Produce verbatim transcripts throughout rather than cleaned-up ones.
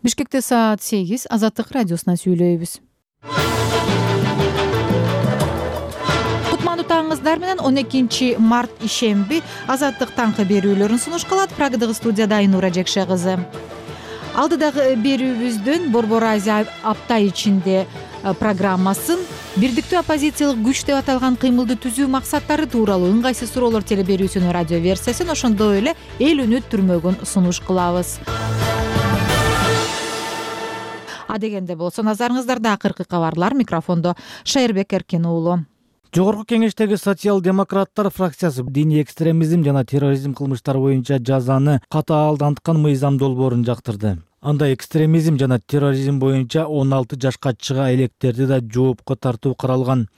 Бишкекте саат сегиз. Азаттык радиосунан сүйлөйбүз. Кутмандуу таңыңыздар менен он экинчи март ишемби Азаттык таңкы берүүлөрүн сунуш кылат. Прагадагы студияда Айнура Жекше кызы. Алдыдагы берүүбүздөн Борбор Азия апта ичинде программасын бирдиктүү оппозициялык күч деп аталган кыймылды түзүү максаттары тууралуу ыңгайсыз суроолор телеберүүсүнүн радио версиясын, ошондой эле эл үнү түрмөгүн сунуш кылабыз. Адегенде болсо назарыңыздарда акыркы кабарлар. Микрофондо Шайырбек Эркин уулу. Жогорку кеңештеги социал-демократтар фракциясы диний экстремизм жана терроризм кылмыштары боюнча жазаны катаалданткан мыйзам долбоорун жактырды. Анда экстремизм жана терроризм боюнча он алты жашка чыга электерди да жоопко тартуу каралган.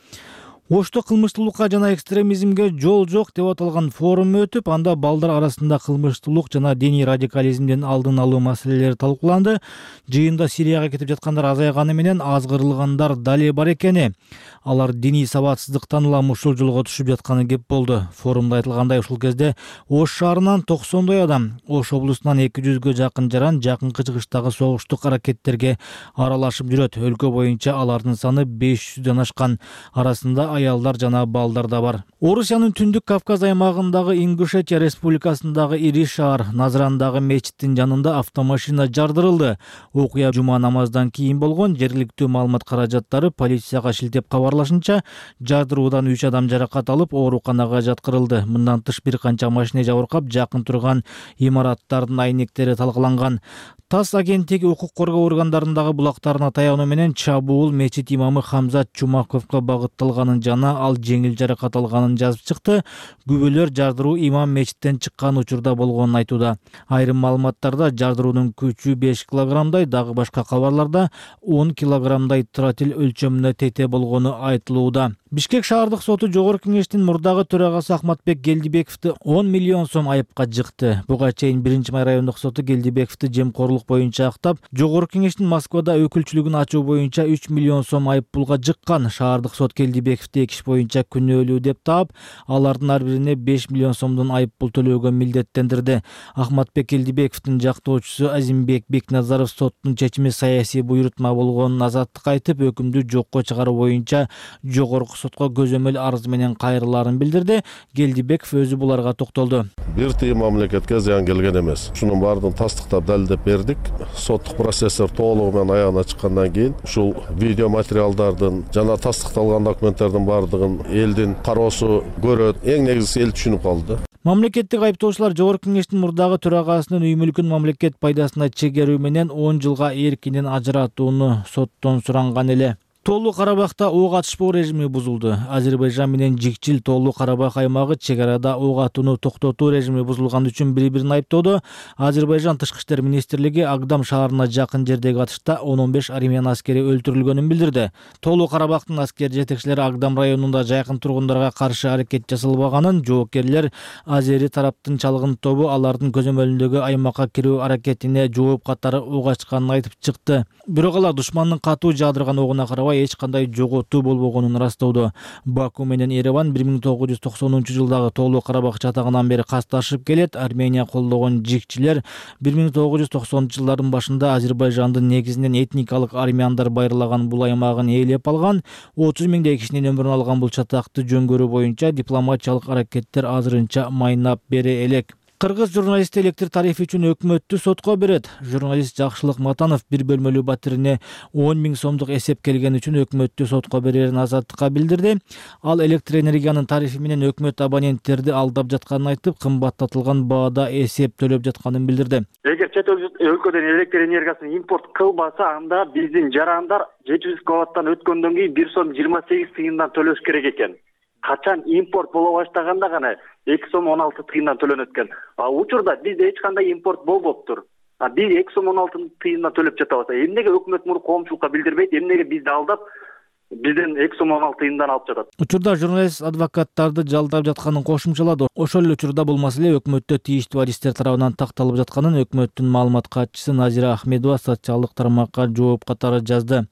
Ошто кылмыштуулукка жана экстремизмге жол жок деп аталган форум өтүп, анда балдар арасында кылмыштуулук жана диний радикализмдин алдын алуу маселелери талкууланды. Жыйында Сирияга кетип жаткандар азайганы менен азгырылгандар дале бар экени, алар диний сабатсыздыктан улам ушул жолго түшүп жатканы кеп болду. Форумда айтылгандай, ушул кезде Ош шаарынан токсондой адам, Ош облусунан эки жүзгө жакын жаран жакынкы чыгыштагы согуштук аракеттерге аралашып жүрөт. Өлкө боюнча алардын саны беш жүздөн ашкан, арасында аялдар жана балдар да бар. Орусиянын Түндүк Кавказ аймагындагы Ингушетия республикасындагы ири шаар Назрандагы мечиттин жанында автомашина жардырылды. Окуя жума намаздан кийин болгон. Жергиликтүү маалымат каражаттары полицияга шилтеп кабарлашынча, жардыруудан үч адам жаракат алып, ооруканага жаткырылды. Мындан тыш бир канча машина жабыркап, жакын турган имараттардын айнектери талкаланган. ТАСС агенттиги укук коргоо органдарындагы булактарына таянуу менен чабуул мечит имамы Хамзат Чумаковго багытталганын жана ал жеңил жаракат алганын жазып чыкты. Күбөлөр жардыруу имам мечиттен чыккан учурда болгонун айтууда. Айрым маалыматтарда жардыруунун күчү беш килограммдай, дагы башка кабарларда он килограммдай тротил өлчөмүнө тете болгону айтылууда. Бишкек шаардык соту Жогорку кеңештин мурдагы төрагасы Ахматбек Келдибековду он миллион сом айыпка жыкты. Буга чейин биринчи май райондук соту Келдибековду жемкорлук боюнча актап, Жогорку кеңештин Москвада өкүлчүлүгүн ачуу боюнча үч миллион сом айып пулга жыккан. Шаардык сот Келдибековду эки иш боюнча күнөөлүү деп таап, алардын ар бирине беш миллион сомдон айып пул төлөөгө милдеттендирди. Ахматбек Келдибековдун жактоочусу Азимбек Бекназаров соттун чечими саясий буйрутма болгонун азаттыкка айтып, өкүмдү жокко чыгаруу боюнча жогорку сотко көзөмөл арыз менен кайрылаарын билдирди. Келдибеков өзү буларга токтолду. Бир тыйын мамлекетке зыян келген эмес. Ушунун баардыгын тастыктап далилдеп бердик. Соттук процесстер толугу менен аягына чыккандан кийин ушул видео материалдардын жана тастыкталган документтердин баардыгын элдин кароосу көрөт. Эң негизгиси эл түшүнүп калды. Мамлекеттик айыптоочулар Жогорку кеңештин мурдагы төрагасынын үй мүлкүн мамлекет пайдасына чегерүү менен он жылга эркинен ажыратууну соттон суранган эле. Тоолуу Карабахта ок атышпоо режими бузулду. Азербайжан менен жикчил Тоолуу Карабах аймагы чек арада ок атууну токтотуу режими бузулган үчүн бири-бирин айыптоодо. Азербайжан Тышкы иштер министрлиги Агдам шаарына жакын жердеги атышта он он беш армян аскери өлтүрүлгөнүн билдирди. Тоолуу Карабахтын аскер жетекчилери Агдам районунда жайкын тургундарга каршы аракет жасалбаганын, жоокерлер азери тараптын чалгын тобу алардын көзөмөлүндөгү аймакка кирүү аракетине жооп катары ок ачканын айтып чыкты. Бирок алар душмандын катуу жаадырган огуна карабай эч кандай жоготуу болбогонун ырастоодо. Баку менен Ереван бир миң тогуз жүз токсонунчу жылдагы Тоолуу Карабах чатагынан бери касташып келет. Армения колдогон жикчилер бир миң тогуз жүз токсонунчу жылдардын башында Азербайжандын негизинен этникалык армяндар байырлаган бул аймагын ээлеп алган. отуз миңдей кишинин өмүрүн алган бул чатакты жөнгөрүү боюнча дипломатиялык аракеттер азырынча майнап бере элек. Кыргыз журналисти электр тарифи үчүн өкмөттү сотко берет. Журналист Жакшылык Матанов бир бөлмөлүү батирине он миң сомдук эсеп келгени үчүн өкмөттү сотко берерин азаттыкка билдирди. Ал электр энергиянын тарифи менен өкмөт абоненттерди алдап жатканын айтып, кымбаттатылган баада эсеп төлөп жатканын билдирди. Эгер чет өлкөдөн электр энергиясын импорт кылбаса, анда биздин жарандар жети жүз киловаттан өткөндөн кийин бир сом жыйырма сегиз тыйындан төлөш керек экен. Качан импорт боло баштаганда гана эки сом он алты тыйындан төлөнөт экен. А учурда бизде эч кандай импорт болбоптур. А биз эки сом он алты тыйындан төлөп жатабыз. Эмнеге өкмөт муну коомчулукка билдирбейт? Эмнеге бизди алдап бизден эки сом он алты тыйындан алып жатат. Учурда журналист адвокаттарды жалдап жатканын кошумчалады. Ошол эле учурда бул маселе өкмөттө тийиштүү адистер тарабынан такталып жатканын өкмөттүн маалымат катчысы Назира Ахмедова социалдык тармакка жооп катары жазды.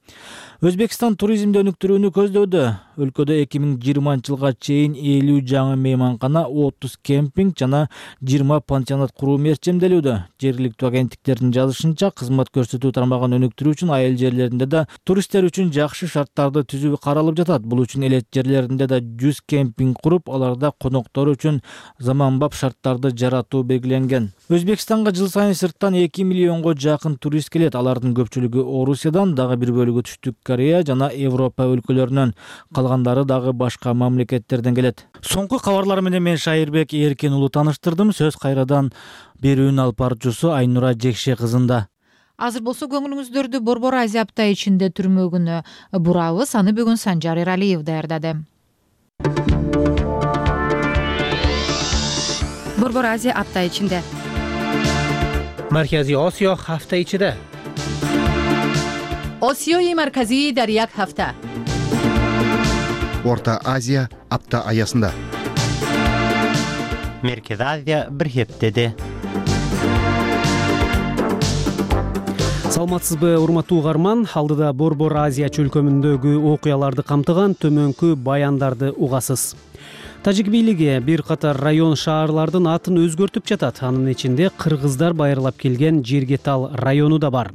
Өзбекстан туризмди өнүктүрүүнү көздөдө. Өлкөдө эки миң жыйырманчы жылга чейин элүү жаңы мейманкана, отуз кемпинг жана жыйырма пансионат куруу мерчемделүүдө. Жергиликтүү агенттиктердин жазышынча, кызмат көрсөтүү тармагын өнүктүрүү үчүн айыл жерлеринде да туристтер үчүн жакшы шарттарды түзүү каралып жатат. Бул үчүн элет жерлеринде да жүз кемпинг куруп, аларда коноктор үчүн заманбап шарттарды жаратуу белгиленген. Өзбекстанга жыл сайын сырттан эки миллионго жакын турист келет. Алардын көпчүлүгү Орусиядан, дагы бир бөлүгү Түштүк Корея жана Европа өлкөлөрүнөн, калгандары дагы башка мамлекеттерден келет. Соңку кабарлар менен мен Шайырбек Эркин уулу тааныштырдым. Сөз кайрадан берүүнүн алып баруучусу Айнура Жекше кызында. Азыр болсо көңүлүңүздөрдү Борбор Азия апта ичинде түрмөгүнө бурабыз. Аны бүгүн Санжар Эралиев даярдады. Борбор Азия апта ичинде. Маркази Осиё ҳафта ичида. Осиёи марказии дар як ҳафта. Орта Азия апта аясында. Меркез Азия бир хептеде. Саламатсызбы, урматтуу угарман? Алдыда Борбор Азия чөлкөмүндөгү окуяларды камтыган төмөнкү баяндарды угасыз. Тажик бийлиги бир катар район шаарлардын атын өзгөртүп жатат. Анын ичинде кыргыздар байырлап келген Жергетал району да бар.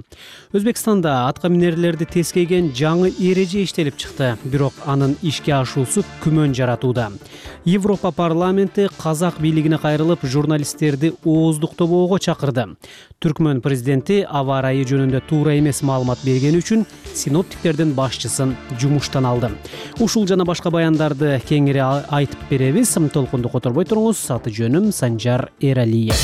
Өзбекстанда атка минерлерди тескейген жаңы эреже иштелип чыкты, бирок анын ишке ашуусу күмөн жаратууда. Европа парламенти казак бийлигине кайрылып, журналисттерди ооздуктоого чакырды. Түркмөн президенти аба ырайы жөнүндө туура эмес маалымат бергени үчүн синоптиктердин башчысын жумуштан алды. Ушул жана башка баяндарды кеңири айтып беребиз. Толкунду которбой туруңуз. Аты жөнүм Санжар Эралиев.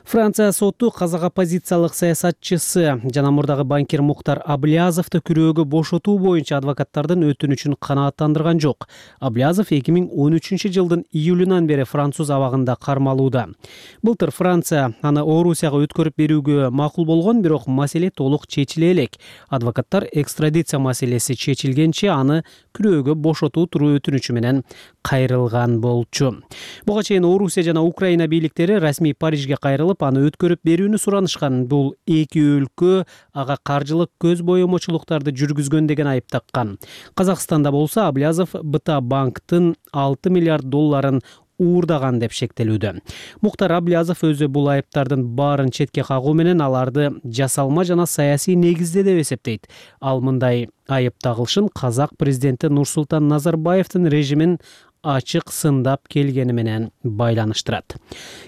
Франция соту казак оппозициялык саясатчысы жана мурдагы банкир Мухтар Аблязовду күрөөгө бошотуу боюнча адвокаттардын өтүнүчүн канааттандырган жок. Аблязов эки миң он үчүнчү жылдын июлунан бери француз абагында кармалууда. Былтыр Франция аны Орусияга өткөрүп берүүгө макул болгон, бирок маселе толук чечиле элек. Адвокаттар экстрадиция маселеси чечилгенче аны күрөөгө бошотуу тууру өтүнүчү менен кайрылган болчу. Буга чейин Орусия жана Украина бийликтери расмий Парижге кайрылып, аны өткөрүп берүүнү суранышкан. Бул эки өлкө ага каржылык көз боёмочулуктарды жүргүзгөн деген айып таккан. Казакстанда болсо Аблязов БТА банктын алты миллиард долларын уурдаган деп шектелүүдө. Мухтар Аблязов өзү бул айыптардын баарын четке кагуу менен аларды жасалма жана саясий негизде деп эсептейт. Ал мындай айып тагылышын казак президенти Нурсултан Назарбаевдин режимин ачык сындап келгени менен байланыштырат.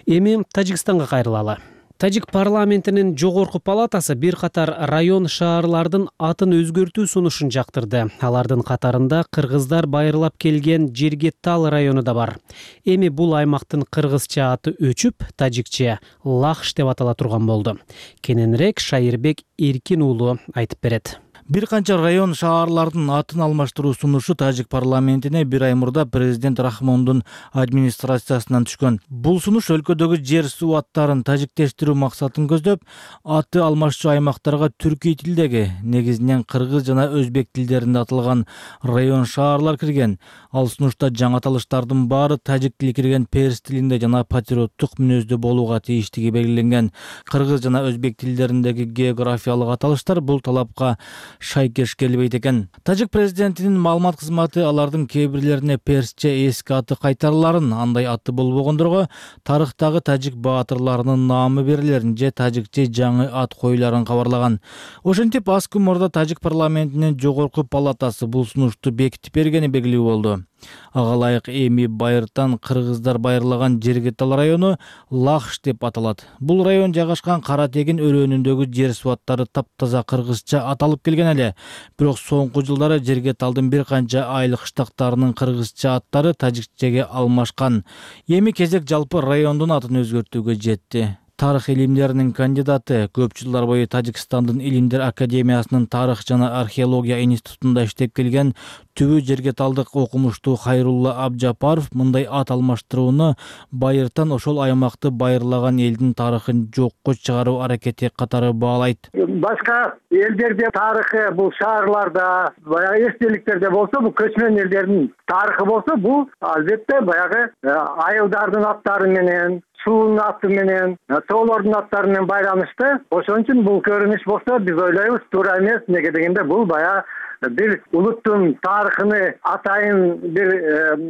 Эми Тажикстанга кайрылалы. Тажик парламентинин жогорку палатасы бир катар район шаарлардын атын өзгөртүү сунушун жактырды. Алардын катарында кыргыздар байырлап келген Жергетал району да бар. Эми бул аймактын кыргызча аты өчүп, тажикче Лахш деп атала турган болду. Кененирээк Шайырбек Эркин уулу айтып берет. Бир канча район шаарлардын атын алмаштыруу сунушу Тажик парламентине бир ай мурда президент Рахмондун администрациясынан түшкөн. Бул сунуш өлкөдөгү жер суу аттарын тажиктештирүү максатын көздөп, аты алмашчу аймактарга түркий тилдеги, негизинен кыргыз жана өзбек тилдеринде аталган район шаарлар кирген. Ал сунушта жаңы аталыштардын баары тажик тили кирген перс тилинде жана патриоттук мүнөздө болууга тийиштиги белгиленген. Кыргыз жана өзбек тилдериндеги географиялык аталыштар бул талапка шайкеш келбейт экен. Тажик президентинин маалымат кызматы алардын кээ бирлерине персче эски аты кайтарыларын, андай аты болбогондорго тарыхтагы тажик баатырларынын наамы берилерин же тажикче жаңы ат коюларын кабарлаган. Ошентип аз күн мурда Тажик парламентинин жогорку палатасы бул сунушту бекитип бергени белгилүү болду. Ага ылайык эми байыртан кыргыздар байырлаган Жергетал району Лахш деп аталат. Бул район жайгашкан Кара Тегин өрөөнүндөгү жер суу аттары таптаза кыргызча аталып келген эле. Бирок соңку жылдары Жергеталдын бир канча айыл кыштактарынын кыргызча аттары тажикчеге алмашкан. Эми кезек жалпы райондун атын өзгөртүүгө жетти. тарых илимдеринин кандидаты, көп жылдар бою Тажикстандын Илимдер академиясынын тарых жана археология институтунда иштеп келген Түбү жерге талдык окумуштуу Хайрулла Абжапаров мындай ат алмаштырууну байыртан ошол аймакты байырлаган элдин тарыхын жокко чыгаруу аракети катары баалайт. Башка элдерде тарыхы, бул шаарларда, баягы эстеликтерде болсо, бул көчмөн элдердин тарыхы болсо, бул албетте баягы айылдардын аттары менен, суунун аты менен, тоолордун аттары менен байланыштуу. Ошон үчүн бул көрүнүш болсо, биз ойлойбуз туура эмес. Неге дегенде бул баягы бир улуттун тарыхыны атайын бир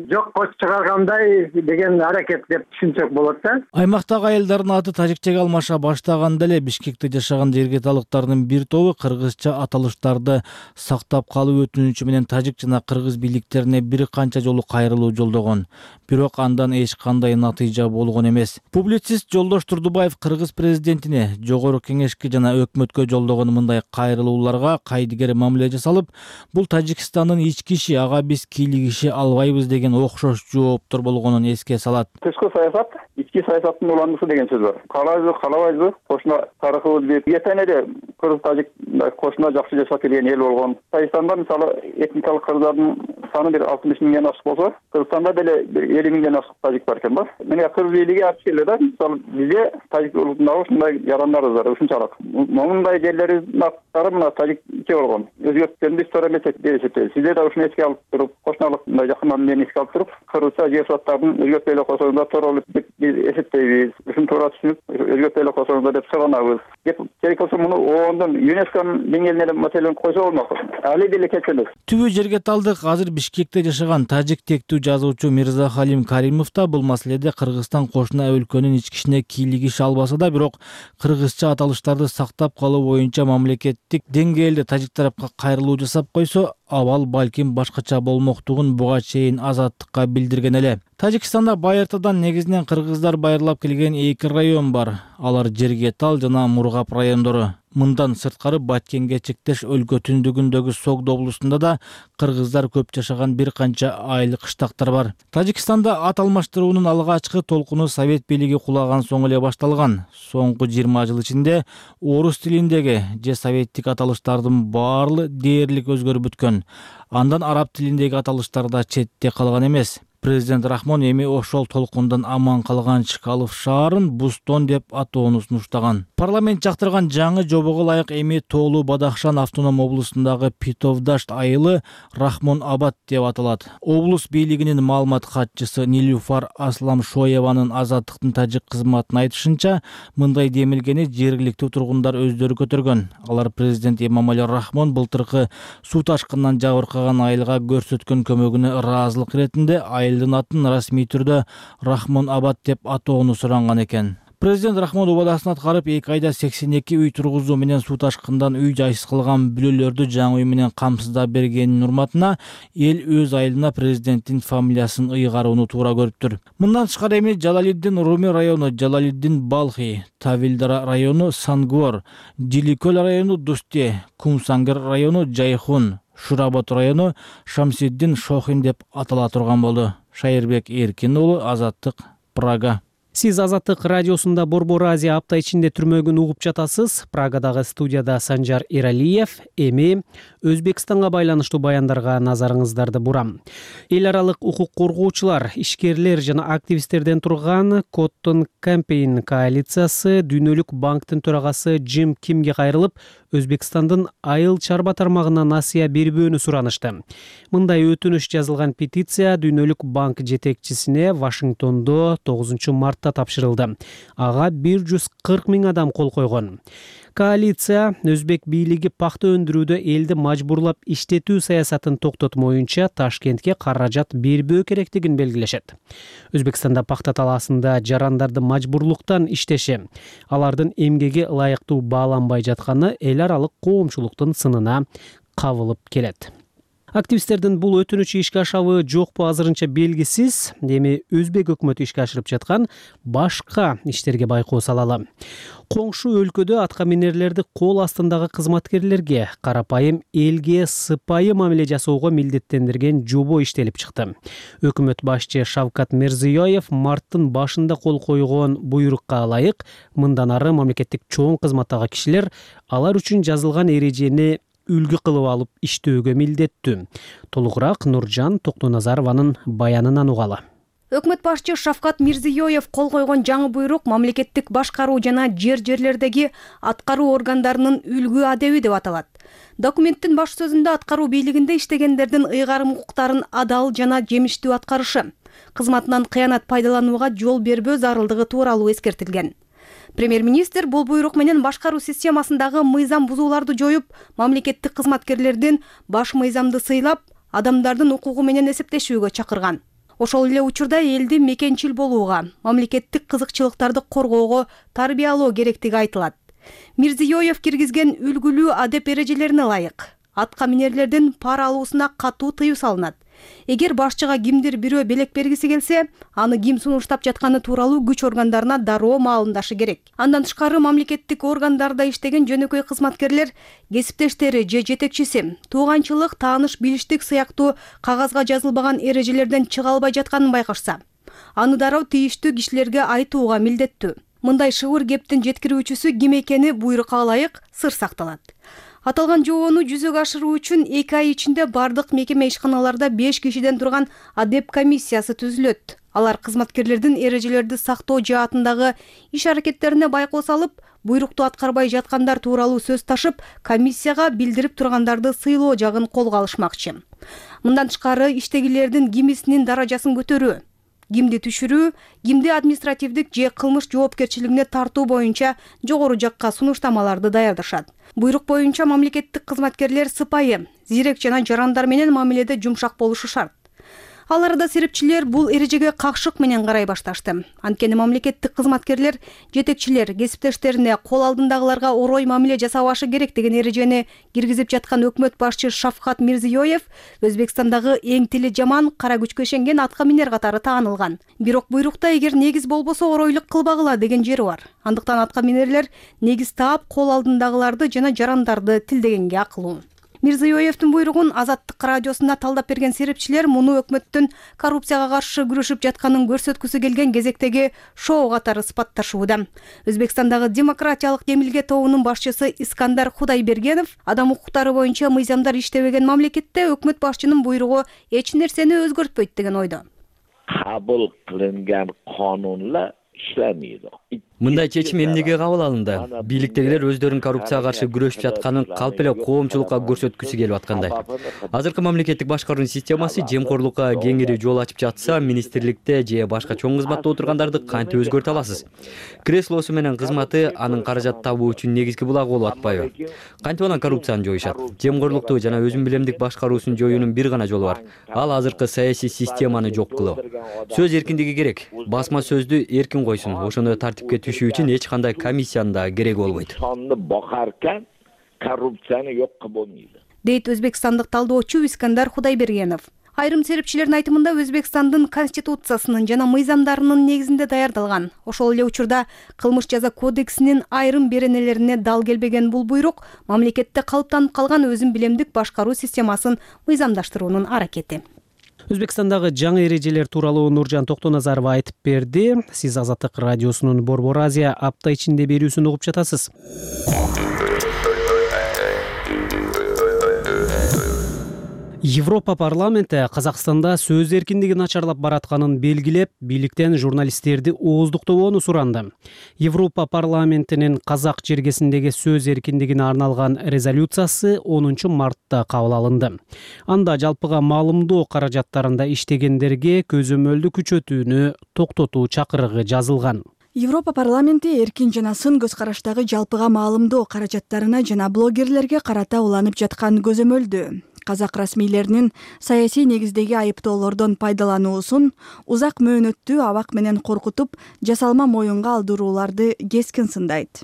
жокко чыгаргандай деген аракет деп түшүнсөк болот да. Аймактагы айылдардын аты тажикчеге алмаша баштаганда эле Бишкекте жашаган жергеталыктардын бир тобу кыргызча аталыштарды сактап калуу өтүнүчү менен тажик жана кыргыз бийликтерине бир канча жолу кайрылуу жолдогон. Бирок андан эч кандай натыйжа болгон эмес. Публицист Жолдош Турдубаев кыргыз президентине, жогорку кеңешке жана өкмөткө жолдогон мындай кайрылууларга кайдыгер мамиле жасалып, бул Тажикстандын ички иши, ага биз кийлигише албайбыз деген окшош жооптор болгонун эске салат. Тышкы саясат ички саясаттын уландысы деген сөз бар. Каалайбызбы, каалабайбызбы, кошуна тарыхыбыз бип, эртең эле кыргыз тажик кошуна жакшы жашап келген эл болгон. Тажикстанда мисалы этникалык кыргыздардын саны бир алтымыш миңден ашык болсо, Кыргызстанда деле бир элүү миңден ашык тажик бар экен да. Мына кыргыз бийлиги ачык эле да, мисалы бизде тажик улутундагы ушундай жарандарыбыз бар, ушунчалык. Момундай жерлерибиздин аттары мына тажикче болгон. Өзгөрткөндү туура эмес деп эсептейбиз. Сиздер да ушуну эске алып туруп, кошуналык мындай жакын мамилени эске алып туруп, кыргызча жер саттардын өзгөртпөй эле койсоңуздар туура болот деп биз эсептейбиз. Ушуну туура түшүнүп, өзгөртпөй эле койсоңуздар деп суранабыз. Деп керек болсо муну оондон ЮНЕСКОнун деңгээлине эле маселени койсо болмок. Али деле кеткен эмес. Түбү жерге талдык азыр Бишкекте жашаган тажик тектүү жазуучу Мирза Халим Каримов да бул маселеде Кыргызстан кошуна өлкөнүн ички ишине кийлигише албаса да, бирок кыргызча аталыштарды сактап калуу боюнча мамлекеттик деңгээлде тажик тарапка кайрылуу жасап койсо, абал балким башкача болмоктугун буга чейин Азаттыкка билдирген эле. Тажикстанда байыртадан негизинен кыргыздар байырлап келген эки район бар. Алар Жергетал жана Мургап райондору. Мындан сырткары Баткенге чектеш өлкө түндүгүндөгү Согд облусунда да кыргыздар көп жашаган бир канча айыл кыштактар бар. Тажикстанда ат алмаштыруунун алгачкы толкуну Совет бийлиги кулаган соң эле башталган. Соңку жыйырма жыл ичинде орус тилиндеги же советтик аталыштардын баары дээрлик өзгөрүп бүткөн. Андан араб тилиндеги аталыштар да четте калган эмес. Президент Рахмон эми ошол толкундан аман калган Чкалов шаарын Бустон деп атоону сунуштаган. Парламент жактырган жаңы жобого ылайык эми Тоолу Бадахшан автоном облусундагы Питовдашт айылы Рахмон Абад деп аталат. Облус бийлигинин маалымат катчысы Нилюфар Асламшоеванын Азаттыктын тажик кызматына айтышынча, мындай демилгени жергиликтүү тургундар өздөрү көтөргөн. Алар президент Эмомали Рахмон былтыркы суу ташкынынан жабыркаган айылга көрсөткөн көмөгүнө ыраазылык иретинде айылдын атын расмий түрдө Рахмон Абад деп атоону суранган экен. Президент Рахмон убадасын аткарып, эки айда сексен эки үй тургузуу менен суу ташкындан үй жайсыз кылган бүлөлөрдү жаңы үй менен камсыздап бергенин урматына эл өз айылына президенттин фамилиясын ыйгарууну туура көрүптүр. Мындан тышкары эми Жалалиддин Руми району Жалалиддин Балхи, Тавилдара району Сангвор, Диликөл району Дусте, Кумсангер району Жайхун, Шуработ району Шамсиддин Шохин деп атала турган болду. Шайырбек Эркин уулу, Азаттык, Прага. Сиз Азаттык радиосунда Борбор Азия апта ичинде түрмөгүн угуп жатасыз. Прагадагы студияда Санжар Эралиев. Эми Өзбекстанга байланыштуу баяндарга назарыңыздарды бурам. Эл аралык укук коргоочулар, ишкерлер жана активисттерден турган Cotton Campaign коалициясы Дүйнөлүк банктын төрагасы Джим Кимге кайрылып, Өзбекстандын айыл чарба тармагына насыя бербөөнү суранышты. Мындай өтүнүш жазылган петиция Дүйнөлүк банк жетекчисине Вашингтондо тогузунчу мартта тапшырылды. Ага бир жүз кырк миң адам кол койгон. Коалиция Өзбек бийлиги пахта өндүрүүдө элди мажбурлап иштетүү саясатын токтотмоюнча Ташкентке каражат бербөө керектигин белгилешет. Өзбекстанда пахта талаасында жарандарды мажбурлуктан иштеши, алардын эмгеги ылайыктуу бааланбай жатканы эл аралык коомчулуктун сынына кабылып келет. Активисттердин бул өтүнүчү ишке ашабы жокпу азырынча белгисиз. Эми Өзбек өкмөтү ишке ашырып жаткан башка иштерге байкоо салалы. Коңшу өлкөдө атка минерлерди кол астындагы кызматкерлерге карапайым элге сыпайы мамиле жасоого милдеттендирген жобо иштелип чыкты. Өкмөт башчы Шавкат Мирзиёев марттын башында кол койгон буйрукка ылайык мындан ары мамлекеттик чоң кызматтагы кишилер алар үчүн жазылган эрежени үлгү кылып алып иштөөгө милдеттүү. Толугураак Нуржан Токтоназарованын баянынан угалы. Өкмөт башчы Шавкат Мирзиёев кол койгон жаңы буйрук мамлекеттик башкаруу жана жер-жерлердеги аткаруу органдарынын үлгү адеби деп аталат. Документтин баш сөзүндө аткаруу бийлигинде иштегендердин ыйгарым укуктарын адал жана жемиштүү аткарышы, кызматынан кыянат пайдаланууга жол бербөө зарылдыгы тууралуу эскертилген. Премьер-министр бул буйрук менен башкаруу системасындагы мыйзам бузууларды жоюп, мамлекеттик кызматкерлердин баш мыйзамды сыйлап, адамдардын укугу менен эсептешүүгө чакырган. Ошол эле учурда элди мекенчил болууга, мамлекеттик кызыкчылыктарды коргоого тарбиялоо керектиги айтылат. Мирзиёев киргизген үлгүлүү адеп эрежелерине ылайык атка минерлердин пара алуусуна катуу тыюу салынат. Эгер башчыга кимдир бирөө белек бергиси келсе, аны ким сунуштап жатканы тууралуу күч органдарына дароо маалымдашы керек. Андан тышкары мамлекеттик органдарда иштеген жөнөкөй кызматкерлер кесиптештери же жетекчиси тууганчылык, тааныш билиштик сыяктуу кагазга жазылбаган эрежелерден чыга албай жатканын байкашса, аны дароо тийиштүү кишилерге айтууга милдеттүү. Мындай шыбыр кептин жеткирүүчүсү ким экени буйрукка ылайык сыр сакталат. Аталган жобону жүзөгө ашыруу үчүн эки ай ичинде бардык мекеме ишканаларда беш кишиден турган адеп комиссиясы түзүлөт. Алар кызматкерлердин эрежелерди сактоо жаатындагы иш аракеттерине байкоо салып, буйрукту аткарбай жаткандар тууралуу сөз ташып, комиссияга билдирип тургандарды сыйлоо жагын колго алышмакчы. Мындан тышкары иштегилердин кимисинин даражасын көтөрүү, кимди түшүрүү, кимди административдик же кылмыш жоопкерчилигине тартуу боюнча жогору жакка сунуштамаларды даярдашат. Буйрук боюнча мамлекеттик кызматкерлер сыпайы, зирек жана жарандар менен мамиледе жумшак болушу шарт. Ал арада серепчилер бул эрежеге какшык менен карай башташты. Анткени мамлекеттик кызматкерлер жетекчилер кесиптештерине кол алдындагыларга орой мамиле жасабашы керек деген эрежени киргизип жаткан өкмөт башчы Шавкат Мирзиёев Өзбекстандагы эң тили жаман, кара күчкө ишенген атка минер катары таанылган. Бирок буйрукта эгер негиз болбосо оройлук кылбагыла деген жери бар. Андыктан атка минерлер негиз таап кол алдындагыларды жана жарандарды тилдегенге акылуу. Мирзиёевдин буйругун Азаттык радиосуна талдап берген серепчилер муну өкмөттүн коррупцияга каршы күрөшүп жатканын көрсөткүсү келген кезектеги шоу катары сыпатташууда. Өзбекстандагы демократиялык демилге тобунун башчысы Искандар Худайбергенов адам укуктары боюнча мыйзамдар иштебеген мамлекетте өкмөт башчынын буйругу эч нерсени өзгөртпөйт деген ойдо. Кабыл кылынган канунlar işlemiyor. Мындай чечим эмнеге кабыл алынды? Бийликтегилер өздөрүнүн коррупцияга каршы күрөшүп жатканын калп эле коомчулукка көрсөткүсү келип аткандай. Азыркы мамлекеттик башкаруу системасы жемкорлукка кеңири жол ачып жатса, министрликте же башка чоң кызматта отургандарды кантип өзгөртө аласыз? Креслосу менен кызматы анын каражат табуу үчүн негизги булагы болуп атпайбы? Кантип анан коррупцияны жоюшат? Жемкорлукту жана өзүн билемдик башкаруусун жоюунун бир гана жолу бар. Ал азыркы саясий системаны жок кылуу. Сөз эркиндиги керек. Басма сөздү эркин койсун. Ошондой тартипке түшүү үчүн эч кандай комиссиянын да кереги болбойт. Sonunu bakarken korrupsiyonu yok kılmıyor. Дейт өзбекстандык талдоочу Искандар Худайбергенов. Айрым серепчилердин айтымында Өзбекстандын конституциясынын жана мыйзамдарынын негизинде даярдалган. Ошол эле учурда кылмыш жаза кодексинин айрым беренелерине дал келбеген бул буйрук мамлекетте калыптанып калган өзүн билемдик башкаруу системасын мыйзамдаштыруунун аракети. Өзбекстандагы жаңы эрежелер тууралуу Нуржан Токтоназарова айтып берди. Сиз Азаттык радиосунун Борбор Азия апта ичинде берүүсүн угуп жатасыз. Европа парламенти Казакстанда сөз эркиндиги начарлап баратканын белгилеп, бийликтен журналисттерди ооздуктобоону суранды. Европа парламентинин казак жергесиндеги сөз эркиндигине арналган резолюциясы онунчу мартта кабыл алынды. Анда жалпыга маалымдоо каражаттарында иштегендерге көзөмөлдү күчөтүүнү токтотуу чакырыгы жазылган. Европа парламенти эркин жана сын көз караштагы жалпыга маалымдоо каражаттарына жана блогерлерге карата уланып жаткан көзөмөлдү, казак расмийлеринин саясий негиздеги айыптоолордон пайдалануусун узак мөөнөттүү абак менен коркутуп, жасалма моюнга алдырууларды кескин сындайт.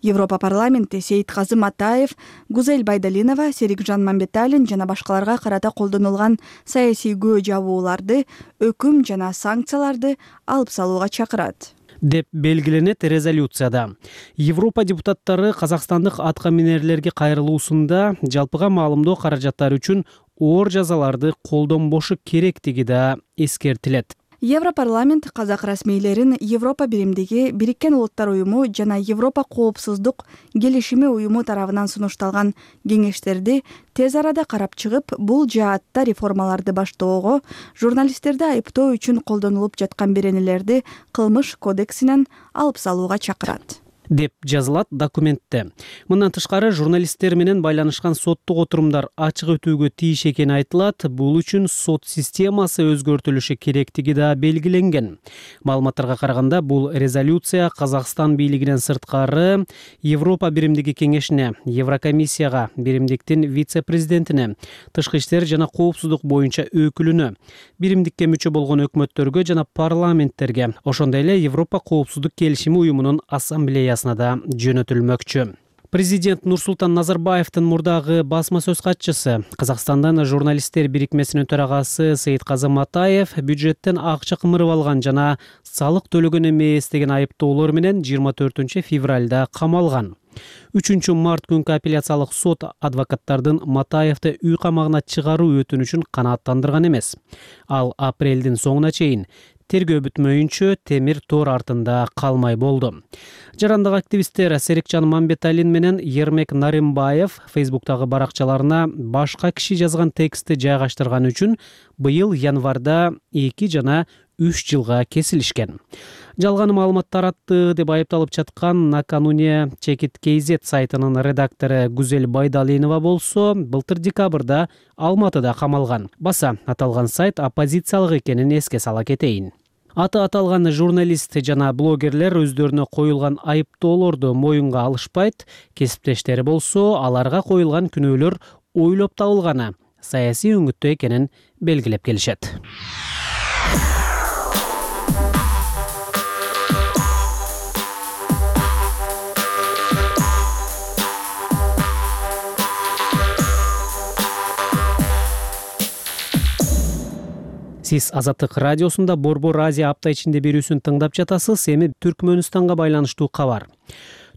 Европа парламенти Сейитказым Атаев, Гузель Байдалинова, Серикжан Мамбеталин жана башкаларга карата колдонулган саясий көө жабууларды, өкүм жана санкцияларды алып салууга чакырат. деп белгиленет резолюцияда. Европа депутаттары казакстандык атка минерлерге кайрылуусунда жалпыга маалымдоо каражаттары үчүн оор жазаларды колдонбошу керектиги да эскертилет. Европарламент казак расмийлерин Европа биримдиги, Бириккен Улуттар уюму жана Европа коопсуздук келишими уюму тарабынан сунушталган кеңештерди тез арада карап чыгып, бул жаатта реформаларды баштоого, журналисттерди айыптоо үчүн колдонулуп жаткан беренелерди кылмыш кодексинен алып салууга чакырат деп жазылат документте. Мындан тышкары журналисттер менен байланышкан соттук отурумдар ачык өтүүгө тийиш экени айтылат. Бул үчүн сот системасы өзгөртүлүшү керектиги да белгиленген. Маалыматтарга караганда бул резолюция Казакстан бийлигинен сырткары Европа биримдиги кеңешине, Еврокомиссияга, биримдиктин вице-президентине, тышкы иштер жана коопсуздук боюнча өкүлүнө, биримдикке мүчө болгон өкмөттөргө жана парламенттерге, ошондой эле Европа коопсуздук келишими уюмунун ассамблеясына да жөнөтүлмөкчү. Президент Нурсултан Назарбаевдин мурдагы басма сөз катчысы, Казакстандан журналисттер бирикмесинин төрагасы Сейитказы Матаев бюджеттен акча кымырып алган жана салык төлөгөн эмес деген айыптоолор менен жыйырма төртүнчү февралда камалган. үчүнчү март күнкү апелляциялык сот адвокаттардын Матаевди үй камагына чыгаруу өтүнүчүн канааттандырган эмес. Ал апрелдин соңуна чейин тергөө бүтмөйүнчө темир тор артында калмай болду. Жарандык активисттер Серикжан Мамбеталин менен Ермек Наримбаев Фейсбуктагы баракчаларына башка киши жазган текстти жайгаштырган үчүн быйыл январда эки жана үч жылга кесилишкен. Жалган маалымат таратты деп айыпталып жаткан накануне Чекит kz сайтынын редактору Гүзел Байдалинова болсо, былтыр декабрда Алматыда камалган. Баса аталган сайт оппозициялык экенин эске сала кетейин. Аты аталган журналист жана блогерлер өздөрүнө коюлган айыптоолорду моюнга алышпайт, кесиптештери болсо аларга коюлган күнөөлөр ойлоп табылганы, саясий өңүттө экенин белгилеп келишет. Сиз Азаттык радиосунда Борбор Азия апта ичинде берүүсүн тыңдап жатасыз. Эми Түркмөнстанга байланыштуу кабар.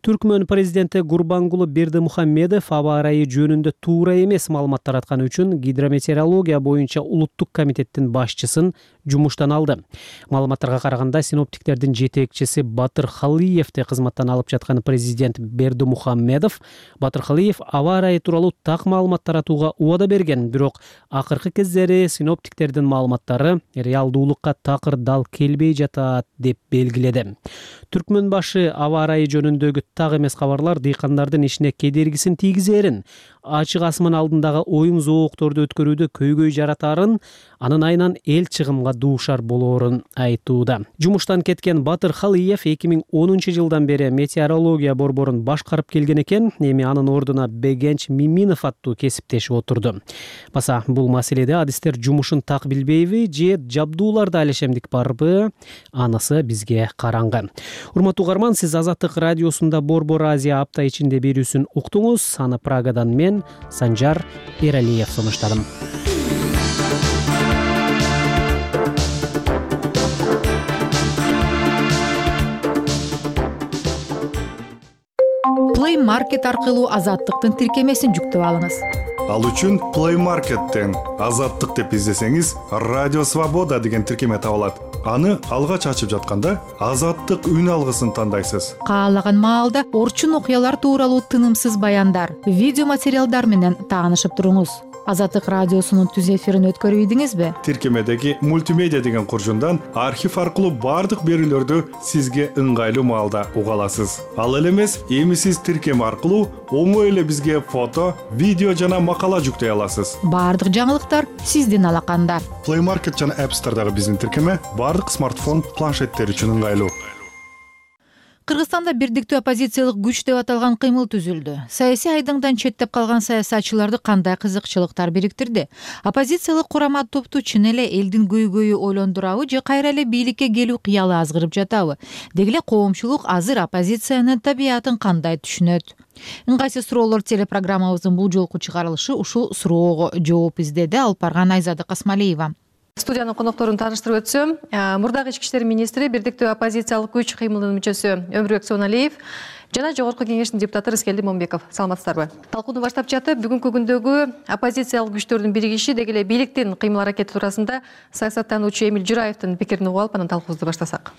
Түркмөн президенти Гурбангулы Бердимухамедов аба ырайы жөнүндө туура эмес маалымат таратканы үчүн гидрометеорология боюнча улуттук комитеттин башчысын жумуштан алды. Маалыматтарга караганда синоптиктердин жетекчиси Батыр Халиевди кызматтан алып жаткан президент Бердимухамедов Батыр Халиев аба ырайы тууралуу так маалымат таратууга убада берген, бирок акыркы кездери синоптиктердин маалыматтары реалдуулукка такыр дал келбей жатат деп белгиледи. Түркмөн башы аба ырайы жөнүндөгү так эмес кабарлар дыйкандардын ишине кедергисин тийгизерин, ачык асман алдындагы оюн зоокторду өткөрүүдө көйгөй жаратарын, анын айынан эл чыгымга дуушар болоорун айтууда. Жумуштан кеткен Батыр Халиев эки миң онунчу жылдан бери метеорология борборун башкарып келген экен. Эми анын ордуна Бегенч Миминов аттуу кесиптеши отурду. Баса бул маселеде адистер жумушун так билбейби же жабдууларда алешемдик барбы? Анысы бизге караңгы. Урматтуу угарман, сиз Азаттык радиосунда Борбор Азия апта ичинде берүүсүн уктуңуз. Аны Прагадан мен Санжар Эралиев сунуштадым. Play Market аркылуу Азаттыктын тиркемесин жүктөп алыңыз. Ал үчүн Play Market'тен Азаттык деп издесеңиз, Радио Свобода деген тиркеме табылат. Аны алгач ачып жатканда Азаттык үн алгысын тандайсыз. Каалаган маалда орчун окуялар тууралуу тынымсыз баяндар, видео материалдар менен таанышып туруңуз. Азаттык радиосунун түз эфирин өткөрүп ийдиңизби? Тиркемедеги мультимедиа деген куржундан архив аркылуу бардык берүүлөрдү сизге ыңгайлуу маалда уга аласыз. Ал эле эмес, эми сиз тиркеме аркылуу оңой эле бизге фото, видео жана макала жүктөй аласыз. Бардык жаңылыктар сиздин алаканда. Play Market жана App Store'дагы биздин тиркеме бардык смартфон, планшеттер үчүн ыңгайлуу. Кыргызстанда бирдиктүү оппозициялык күч деп аталган кыймыл түзүлдү. Саясий айдыңдан четтеп калган саясатчыларды кандай кызыкчылыктар бириктирди? Оппозициялык курама топту чын эле элдин көйгөйү ойлондурабы же кайра эле бийликке келүү кыялы азгырып жатабы? Деги эле коомчулук азыр оппозициянын табиятын кандай түшүнөт? Ыңгайсыз суроолор телепрограммабыздын бул жолку чыгарылышы ушул суроого жооп издеди. Алып барган Айзада Касмалиева. Студиянын конокторун тааныштырып өтсөм, мурдагы ички иштер министри, бирдиктүү оппозициялык күч кыймылдын мүчөсү Өмүрбек Соналиев жана Жогорку кеңештин депутаты Рыскелди Момбеков. Саламатсыздарбы? Талкууну баштап жатып, бүгүнкү күндөгү оппозициялык күчтөрдүн биригиши деги эле бийликтин кыймыл аракети туурасында саясаттануучу Эмил Жураевдин пикирин угуп алып, анан талкуубузду баштасак.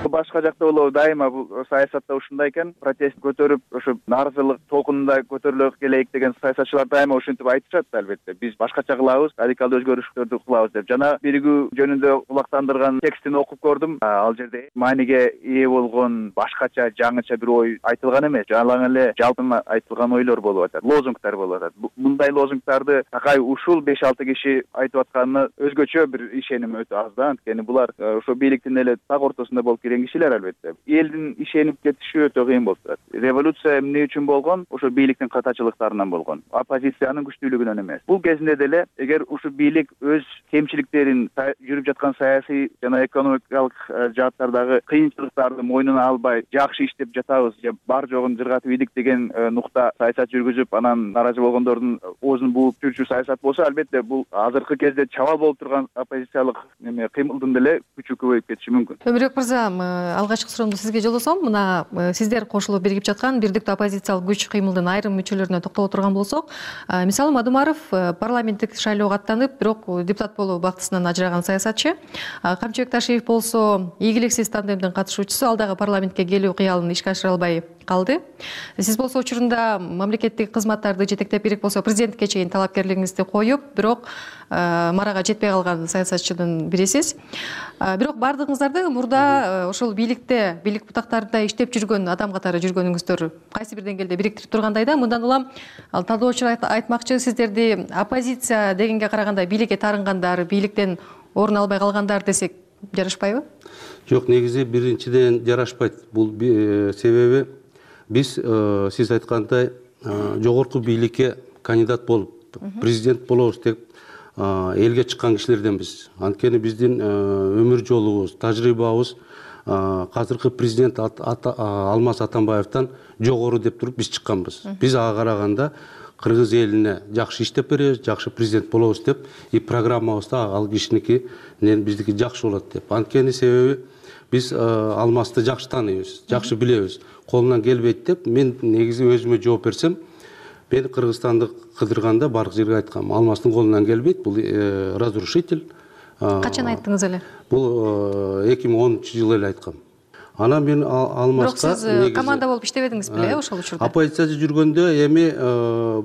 Башка жакта болобу дайыма бул саясатта ушундай экен, протест көтөрүп, ошо нааразылык толкунунда көтөрүлө келейик деген саясатчылар дайыма ушинтип айтышат. Албетте биз башкача кылабыз, радикалдуу өзгөрүштөрдү кылабыз деп. Жана биригүү жөнүндө кулактандырган текстин окуп көрдүм. Ал жерде мааниге ээ болгон башкача, жаңыча бир ой айтылган эмес. Жалаң эле жалпы айтылган ойлор болуп атат, лозунгтар болуп атат. Мындай лозунгтарды такай ушул беш алты киши айтып атканына өзгөчө бир ишеним өтө аз да. Анткени булар ошо бийликтин эле так ортосунда болуп кирген кишилер албетте. Элдин ишенип кетиши өтө кыйын болуп турат. Революция эмне үчүн болгон? Ошо бийликтин катачылыктарынан болгон. Оппозициянын күчтүүлүгүнөн эмес. Бул кезинде деле эгер ушу бийлик өз кемчиликтерин, жүрүп жаткан саясий жана экономикалык жааттардагы кыйынчылыктарды мойнуна албай, жакшы иштеп жатабыз же бар жогун жыргатып идик деген нукта саясат жүргүзүп, анан нааразы болгондордун оозун бууп жүрчү саясат болсо, албетте бул азыркы кезде чабал болуп турган оппозициялык эме кыймылдын деле күчү көбөйүп кетиши мүмкүн. Өмүрбек мырза, алгачкы суроомду сизге жолдосом, мына сиздер кошулуп биригип жаткан бирдиктүү оппозициялык күч кыймылдын айрым мүчөлөрүнө токтоло турган болсок, мисалы Мадумаров парламенттик шайлоого аттанып, бирок депутат болуу бактысынан ажыраган саясатчы. Камчыбек Ташиев болсо ийгиликсиз тандемдин катышуучусу, ал дагы парламентке келүү кыялын ишке ашыра албай калды. Сиз болсо учурунда мамлекеттик кызматтарды жетектеп, керек болсо президентке чейин талапкерлигиңизди коюп, бирок марага жетпей калган саясатчынын бирисиз. Бирок бардыгыңыздарды мурда ошол бийликте, бийлик бутактарында иштеп жүргөн адам катары жүргөнүңүздөр кайсы бир деңгээлде бириктирип тургандай да. Мындан улам талдоочулар айтмакчы, сиздерди оппозиция дегенге караганда бийликке тарынгандар, бийликтен орун албай калгандар десек жарашпайбы? Жок, негизи биринчиден жарашпайт. Бул себеби биз сиз айткандай жогорку бийликке кандидат болуп, президент болобуз деп элге чыккан кишилерденбиз. Анткени биздин өмүр жолубуз, тажрыйбабыз азыркы президент Алмаз Атамбаевден жогору деп туруп биз чыкканбыз. Биз ага караганда кыргыз элине жакшы иштеп беребиз, жакшы президент болобуз деп, и программабызда ал кишиники биздики жакшы болот деп. Анткени себеби биз Алмазды жакшы тааныйбыз, жакшы билебиз. Колунан келбейт деп мен негизи өзүмө жооп берсем, мен Кыргызстанды кыдырганда бардык жерге айткам, Алмаздын колунан келбейт, бул разрушитель. Качан айттыңыз эле? Бул эки миң онунчу жылы эле айткам. Анан мен Алмазга бирок сиз команда болуп иштебедиңиз беле ошол учурда? Оппозицияда жүргөндө эми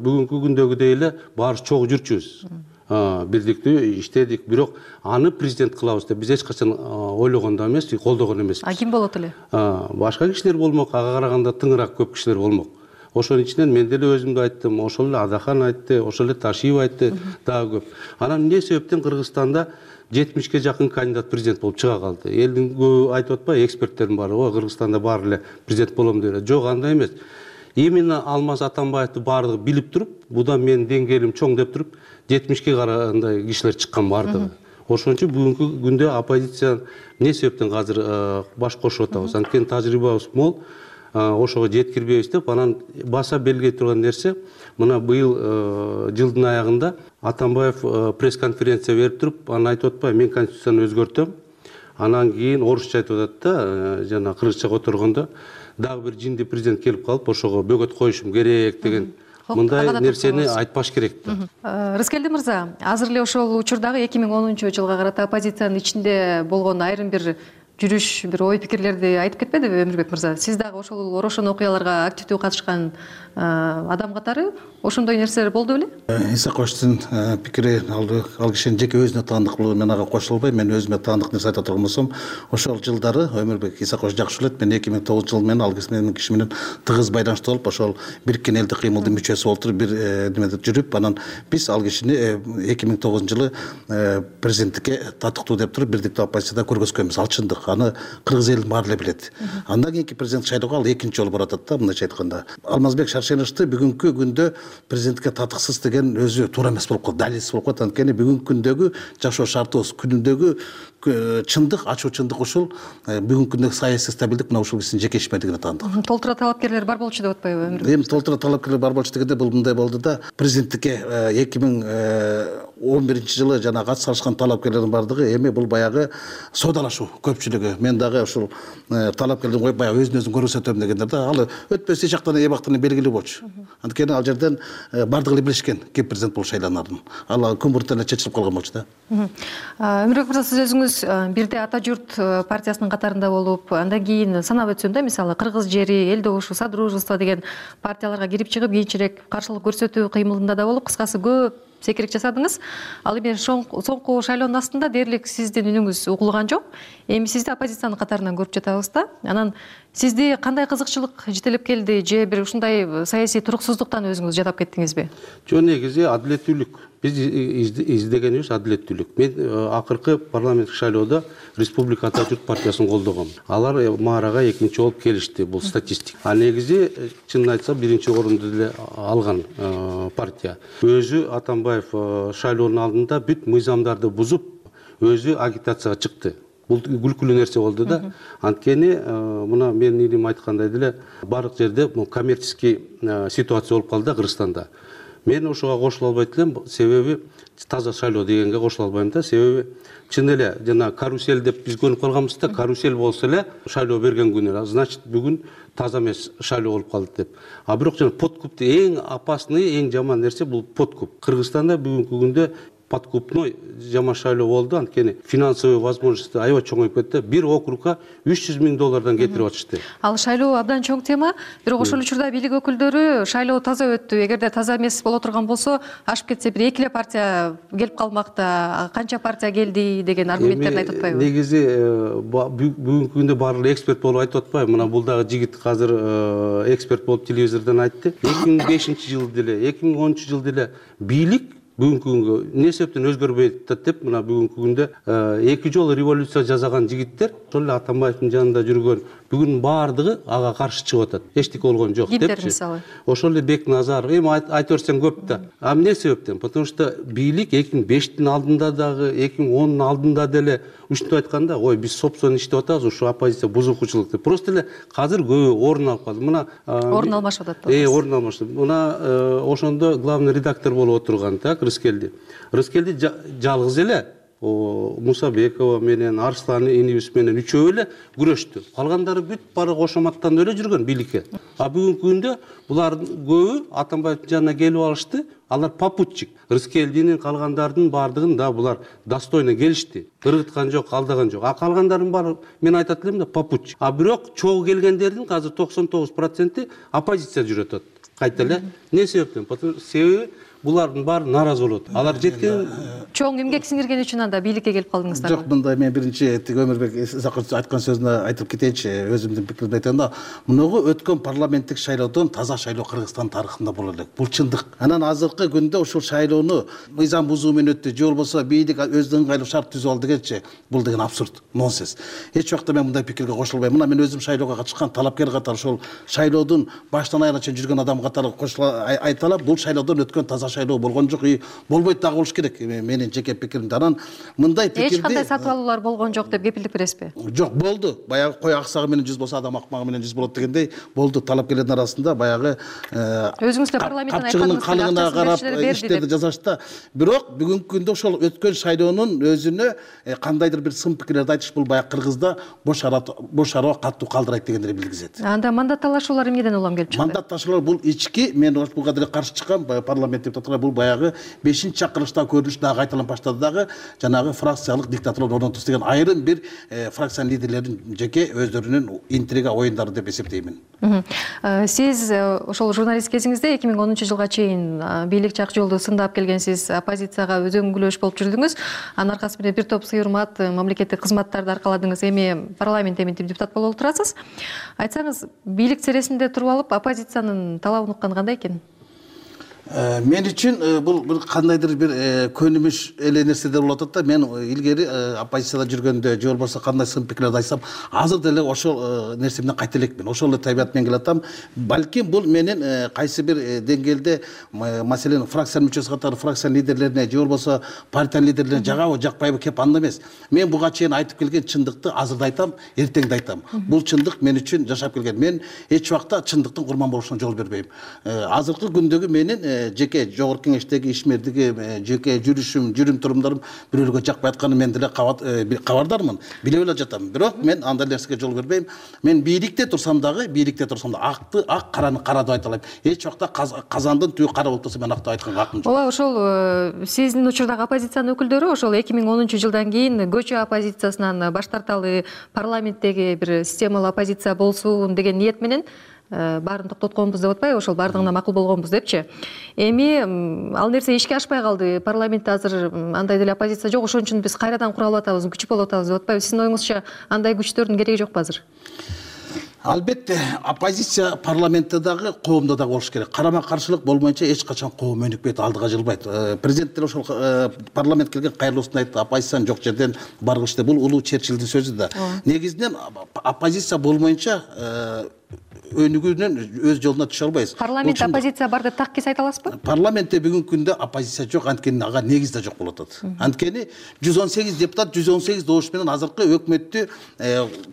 бүгүнкү күндөгүдөй эле баарыбыз чогуу жүрчүбүз. Бирдиктүү иштедик, бирок аны президент кылабыз деп биз эч качан ойлогон да эмес, колдогон эмеспиз. А ким болот эле? Башка кишилер болмок, ага караганда тыңыраак көп кишилер болмок. Ошонун ичинен мен деле өзүмдү айттым, ошол эле Адахан айтты, ошол эле Ташиев айтты, дагы көп. Анан эмне себептен Кыргызстанда жетимишке жакын кандидат президент болуп чыга калды? Элдин көбү айтып атпайбы, эксперттердин баары, о, Кыргызстанда баары эле президент болом деп эле. Жок, андай эмес. Именно Алмаз Атамбаевди баардыгы билип туруп, будан менин деңгээлим чоң деп туруп, жетимишке карагандай кишилер чыккан баардыгы. Ошон үчүн бүгүнкү күндө оппозиция эмне себептен азыр баш кошуп атабыз? Анткени тажрыйбабыз мол, ошого жеткирбейбиз деп, анан баса белгилей турган нерсе, мына быйыл жылдын аягында Атамбаев пресс-конференция берип туруп, анан айтып атпайбы, мен конституцияны өзгөртөм. Анан кийин орусча айтып атат да, жана кыргызча которгондо дагы бир жинди президент келип калып, ошого бөгөт коюшум керек деген мындай нерсени айтпаш керек да. Рыскелди мырза, азыр эле ошол учурдагы эки миң онунчу жылга карата оппозициянын ичинде болгон айрым бир жүрүш, бир ой пикирлерди айтып кетпедиби Өмүрбек мырза? Сиз дагы ошол орошон окуяларга активдүү катышкан адам катары ошондой нерселер болду беле? Исаковичтин пикири, ал кишинин жеке өзүнө таандык, мен ага кошула албайм. Мен өзүмө таандык нерсе айта турган болсом, ошол жылдары Өмүрбек Исакович жакшы билет, мен эки миң тогузунчу жылы менен ал киши менен тыгыз байланышта болуп, ошол бириккен элдик кыймылдын мүчөсү болуп туруп, бир немеде жүрүп, анан биз ал кишини эки миң тогузунчу жылы президенттикке татыктуу деп туруп, бирдиктүү оппозицияда көргөзгөнбүз. Ал чындык. Аны кыргыз элин баары эле билет. Андан кийинки президент шайлоого ал экинчи жолу баратат да, мындайча айтканда. Алмазбек Шаршеновичти бүгүнкү күндө президентке татыксыз деген өзү туура эмес болуп калды, далилсиз болуп калат. Анткени бүгүнкү күндөгү жашоо шартыбыз, күнүндөгү чындык, ачуу чындык ушул бүгүнкү күндөгү саясий стабилдик мына ушул кишинин жеке ишмердигине таандык. Толтура талапкерлер бар болчу деп атпайбы? Эми толтура талапкерлер бар болчу дегенде бул мындай болду да, президенттикке эки миң он биринчи жылы жана катышкан талапкерлердин бардыгы эми бул баягы соодалашуу көпчүлүгү. Мен дагы ушул талапкердин коюп баягы өзүн өзүн көрсөтөм дегендер да, ал өтпөс эч жактан эбактан белгилүү болчу. Анткени ал жерден бардыгы эле билишкен ким президент болуп шайланарын. Ал күн буртан эле чечилип калган болчу да. Өмүрбек мырза, сиз өзүңүз бирде Ата журт партиясынын катарында болуп, андан кийин санап өтсөм да, мисалы Кыргыз жери, Эл добушу, Содружество деген партияларга кирип чыгып, кийинчерээк каршылык көрсөтүү кыймылында да болуп, кыскасы көп секирик жасадыңыз. Ал эми соңку шайлоонун астында дээрлик сиздин үнүңүз угулган жок. Эми сизди оппозициянын катарынан көрүп жатабыз да. Анан сизди кандай кызыкчылык жетелеп келди, же бир ушундай саясий туруксуздуктан өзүңүз жадап кеттиңизби? Жок, негизи адилеттүүлүк. Биз издегенибиз адилеттүүлүк. Мен акыркы парламенттик шайлоодо Республика Ата журт партиясын колдогом. Алар маарага экинчи болуп келишти, бул статистика. А негизи чынын айтсам биринчи орунду деле алган партия. Өзү Атамбаев шайлоонун алдында бүт мыйзамдарды бузуп, өзү агитацияга чыкты. Бул күлкүлүү нерсе болду да. Анткени мына менин илим айткандай деле бардык жерде коммерческий ситуация болуп калды Кыргызстанда. Мен ошого кошула албайт элем, себеби таза шайлоо дегенге кошула албайм да, себеби чын эле жана карусель деп биз көрүп калганбыз да, карусель болсо эле шайлоо берген күнү, значит бүгүн таза эмес шайлоо болуп калды деп. А бирок жана подкуп эң опасный, эң жаман нерсе бул подкуп. Кыргызстанда бүгүнкү күндө подкупной жаман шайлоо болду, анткени финансовый возможности аябай чоңоюп кетти. Бир округга үч жүз миң доллардан кетирип атышты. Ал шайлоо абдан чоң тема, бирок ошол учурда бийлик өкүлдөрү шайлоо таза өттү, эгерде таза эмес боло турган болсо, ашып кетсе бир эки эле партия келип калмакта, канча партия келди деген аргументтерин айтып атпайбы? Негизи бүгүнкү күндө баары эле эксперт болуп айтып атпайбы? Мына бул дагы жигит азыр эксперт болуп телевизордон айтты. эки миң бешинчи жылы деле, эки миң онунчу жылы деле бийлик бүгүнкү күнгө эмне себептен өзгөрбөйт деп, мына бүгүнкү күндө эки жолу революция жасаган жигиттер, ошол эле Атамбаевдин жанында жүргөн бүгүн баардыгы ага каршы чыгып атат. Эчтеке болгон жок депчи. Ошол эле Бекназаров, эми айта берсең көп да. А эмне себептен? Потому что бийлик эки миң бештин алдында дагы, эки миң онун алдында деле ушинтип айтканда, ой, биз собственно иштеп атабыз, ушу оппозиция бузукучулук деп. Просто эле азыр көбү орун алып калды. Мына орун алмашып атат. Э, орун алмашты. Мына ошондо главный редактор болуп отурган так Рыскелди. Рыскелди жалгыз эле Мусабекова менен, Арслан инибиз менен үчөө эле күрөштү. Калгандары бүт бары кошоматтан эле жүргөн бийликке. А бүгүнкү күндө булардын көбү Атамбаевдин жанына келип алышты. Алар попутчик. Рыскелдинин калгандардын бардыгын да булар достойно келишти. Ыргыткан жок, алдаган жок. А калгандардын баары мен айтат элем да попутчик. А бирок чогуу келгендердин азыр токсон тогуз проценти оппозиция жүрөт атат. Кайта эле. Не себептен? Себеби булардын баары нааразы болот. Алар жеткен чоң эмгек сиңирген үчүн анда бийликке келип калдыңыздар. Жок, мындай мен биринчи Өмүрбек Исакович айткан сөзүнө айтып кетейинчи, өзүмдүн пикиримди айтайын да. Мунугу өткөн парламенттик шайлоодон таза шайлоо Кыргызстан тарыхында боло элек. Бул чындык. Анан азыркы күндө ушул шайлоону мыйзам бузуу менен өттү, же болбосо бийлик өзүнүн ыңгайлуу шарт түзүп алды дегенчи, бул деген абсурд, нонсенс. Эч убакта мен мындай пикирге кошулбайм. Мына мен өзүм шайлоого катышкан талапкер катары ошол шайлоодун баштан аягына чейин жүргөн адам катары кошула айта алам, бул шайлоодон өткөн таза шайлоо болгон жок, болбойт дагы болуш керек. Менин жеке пикиримде. Анан мындай пикирди эч кандай сатып алуулар болгон жок деп кепилдик бересизби? Жок, болду. Баягы кой аксагы менен жүз болсо, адам акмагы менен жүз болот дегендей болду. Талапкерлердин арасында баягы өзүңүз эле парламенттен айткандыңыз, калыгына карап иштерди жасашты. Бирок бүгүнкү күндө ошол өткөн шайлоонун өзүнө кандайдыр бир сын пикирлерди айтыш бул баягы Кыргызда бош бош арба катуу калдырайт дегендерди билгизет. Анда мандат талашуулар эмнеден улам келип чыкты? Мандат талашуулар бул ички, мен буга деле каршы чыккан парламент депутаттары бул баягы бешинчи чакырылышта көрүнүш дагы кайталанып баштады дагы, жанагы фракциялык диктатура орнотуш деген айрым бир фракциянын лидерлеринин жеке өздөрүнүн интрига оюндары деп эсептеймин. Сиз ошол журналист кезиңизде эки миң онунчу жылга чейин бийлик жак жолду сындап келгенсиз, оппозицияга өзөңгүлөш болуп жүрдүңүз. Анын аркасы менен бир топ сый урмат мамлекеттик кызматтарды аркаладыңыз. Эми парламент эментип депутат болуп отурасыз. Айтсаңыз, бийлик сересинде туруп алып оппозициянын талабын уккан кандай экен? Мен үчүн бул бир кандайдыр бир көнүмүш эле нерседер болуп атат да. Мен илгери оппозицияда жүргөндө, же болбосо кандай сын пикирлерди айтсам, азыр деле ошол нерсе менен кайта элекмин. Ошол эле табият менен келатам. Балким бул менин кайсы бир деңгээлде, маселен, фракциянын мүчөсү катары фракциянын лидерлерине, же болбосо партиянын лидерлерине жагабы, жакпайбы кеп анда эмес. Мен буга чейин айтып келген чындыкты азыр да айтам, эртең да айтам. Бул чындык мен үчүн жашап келген. Мен эч убакта чындыктын курман болушуна жол бербейм. Азыркы күндөгү менин жеке жогорку кеңештеги ишмердиги жеке жүрүшүм жүрүм турумдарым бирөөлөргө жакпай атканы мен деле кабардармын, билип эле жатам. Бирок мен андай нерсеге жол бербейм. Мен бийликте турсам дагы, бийликте турсам да акты ак, караны кара деп айта алайм. Эч убакта казандын түбү кара болуп турса мен акты айтканга акым жок. Ооба, ошол сиздин учурдагы оппозициянын өкүлдөрү ошол эки миң онунчу жылдан кийин көчө оппозициясынан баш тарталы, парламенттеги бир системалуу оппозиция болсун деген ниет менен баарын токтотконбуз деп атпайбы, ошол баардыгына макул болгонбуз депчи. Эми ал нерсе ишке ашпай калды. Парламентте азыр андай деле оппозиция жок, ошон үчүн биз кайрадан кура алып атабыз, күч болуп атабыз деп атпайбы. Сиздин оюңузча андай күчтөрдүн кереги жокпу азыр? Албетте, оппозиция парламентте дагы, коомдо дагы болуш керек. Карама каршылык болмойнчо эч качан коом өнүкпөйт, алдыга жылбайт. Президент деле ошол парламент келген кайрылуусунда айтты, оппозициянын жок жерден баргыч деп. Бул улуу Черчиллдин сөзү да. Негизинен оппозиция болмойнчо өнүгүүнөн өз жолуна түшө албайбыз. Парламент оппозиция бар деп так кес айта аласызбы? Парламентте бүгүнкү күндө оппозиция жок, анткени ага негиз да жок болуп атат. Анткени жүз он сегиз депутат жүз он сегиз добуш менен азыркы өкмөттү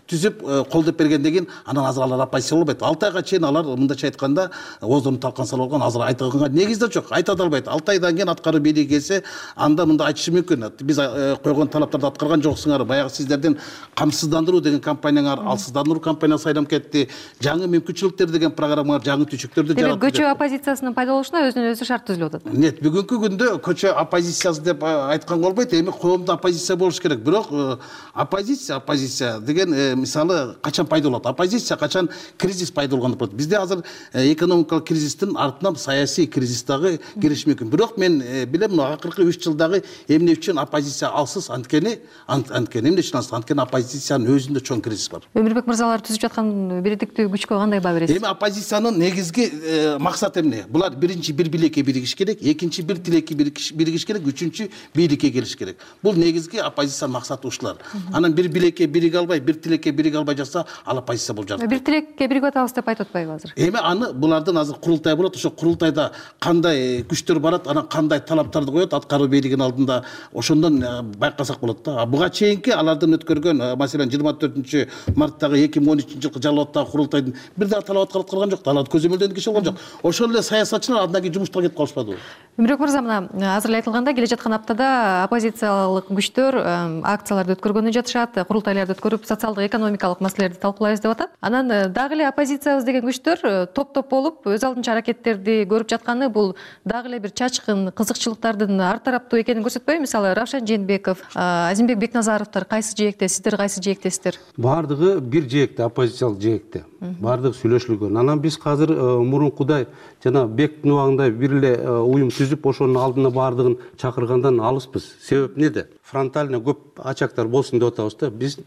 түзүп колдоп бергенден кийин анан азыр алар оппозиция болбойт. алты айга чейин алар мындайча айтканда оозун талкан салып алган, азыр айтканга негиз да жок, айта да албайт. алты айдан кийин аткаруу бийлиги келсе, анда мындай айтышы мүмкүн. Биз койгон талаптарды аткарган жоксуңар. Баягы сиздердин камсыздандыруу деген кампанияңар алсыздандыруу кампаниясы айланып кетти. Жаңы мүмкүнчүлүктөр деген программалар, жаңы түшүктөрдү жаратты. Демек, көчө оппозициясынын пайда болушуна өзүнөн өзү шарт түзүлүп атат. Нет, бүгүнкү күндө көчө оппозициясы деп айтканга болбойт. Эми коомдо оппозиция болуш керек. Бирок оппозиция, оппозиция деген мисалы качан пайда болот? Оппозиция качан кризис пайда болгондо болот. Бизде азыр экономикалык кризистин артынан саясий кризис дагы кириши мүмкүн. Бирок мен билем, акыркы үч жылдагы эмне үчүн оппозиция алсыз? Анткени анткени эмне үчүн алсыз? Анткени оппозициянын өзүндө чоң кризис бар. Өмүрбек мырзалар түзүп жаткан биредиктүү күчкө кандай баа бересиз? Эми оппозициянын негизги максат эмне? Булар биринчи бир билекке биригиш керек, экинчи бир тилекке биригиш керек, үчүнчү бийликке келиш керек. Бул негизги оппозициянын максаты ушулар. Анан бир билекке бириге албай, бир тилекке бириге албай жатса, ал оппозиция болуп жатат. Бир тилекке биригип атабыз деп айтып атпайбы азыр? Эми аны булардын азыр курултай болот, ошо курултайда кандай күчтөр барат, анан кандай талаптарды коет аткаруу бийлигинин алдында, ошондон байкасак болот да. Буга чейинки алардын өткөргөн, маселен жыйырма төртүнчү марттагы эки миң он үчүнчү жылкы Жалал абаддагы курултайдын бир дагы талап аткарылган жок, талап көзөмөлдөнгөн киши болгон жок. Ошол эле саясатчылар андан кийин жумуштан кетип калышпадыбы? Өмүрбек мырза, мына азыр эле айтылгандай, келе жаткан аптада оппозициялык күчтөр акцияларды өткөргөнү жатышат, курултайларды өткөрүп, социалдык экономикалык маселелерди талкуулайбыз деп атат. Анан дагы эле оппозициябыз деген күчтөр топ-топ болуп өз алдынча аракеттерди көрүп жатканы бул дагы эле бир чачкын кызыкчылыктардын ар тараптуу экенин көрсөтпөйбү? Мисалы, Равшан Жээнбеков, Азимбек Бекназаровдор кайсы жээкте, сиздер кайсы жээктесиздер? Бардыгы бир жээкте, оппозициялык жээкте. Бардыгы сүйлөшүлгөн. Анан биз азыр мурункудай жана Бектин убагында бир эле уюм түзүп, ошонун алдына бардыгын чакыргандан алыспыз. Себеп неде? Фронтально көп ачактар болсун деп атабыз да. Биз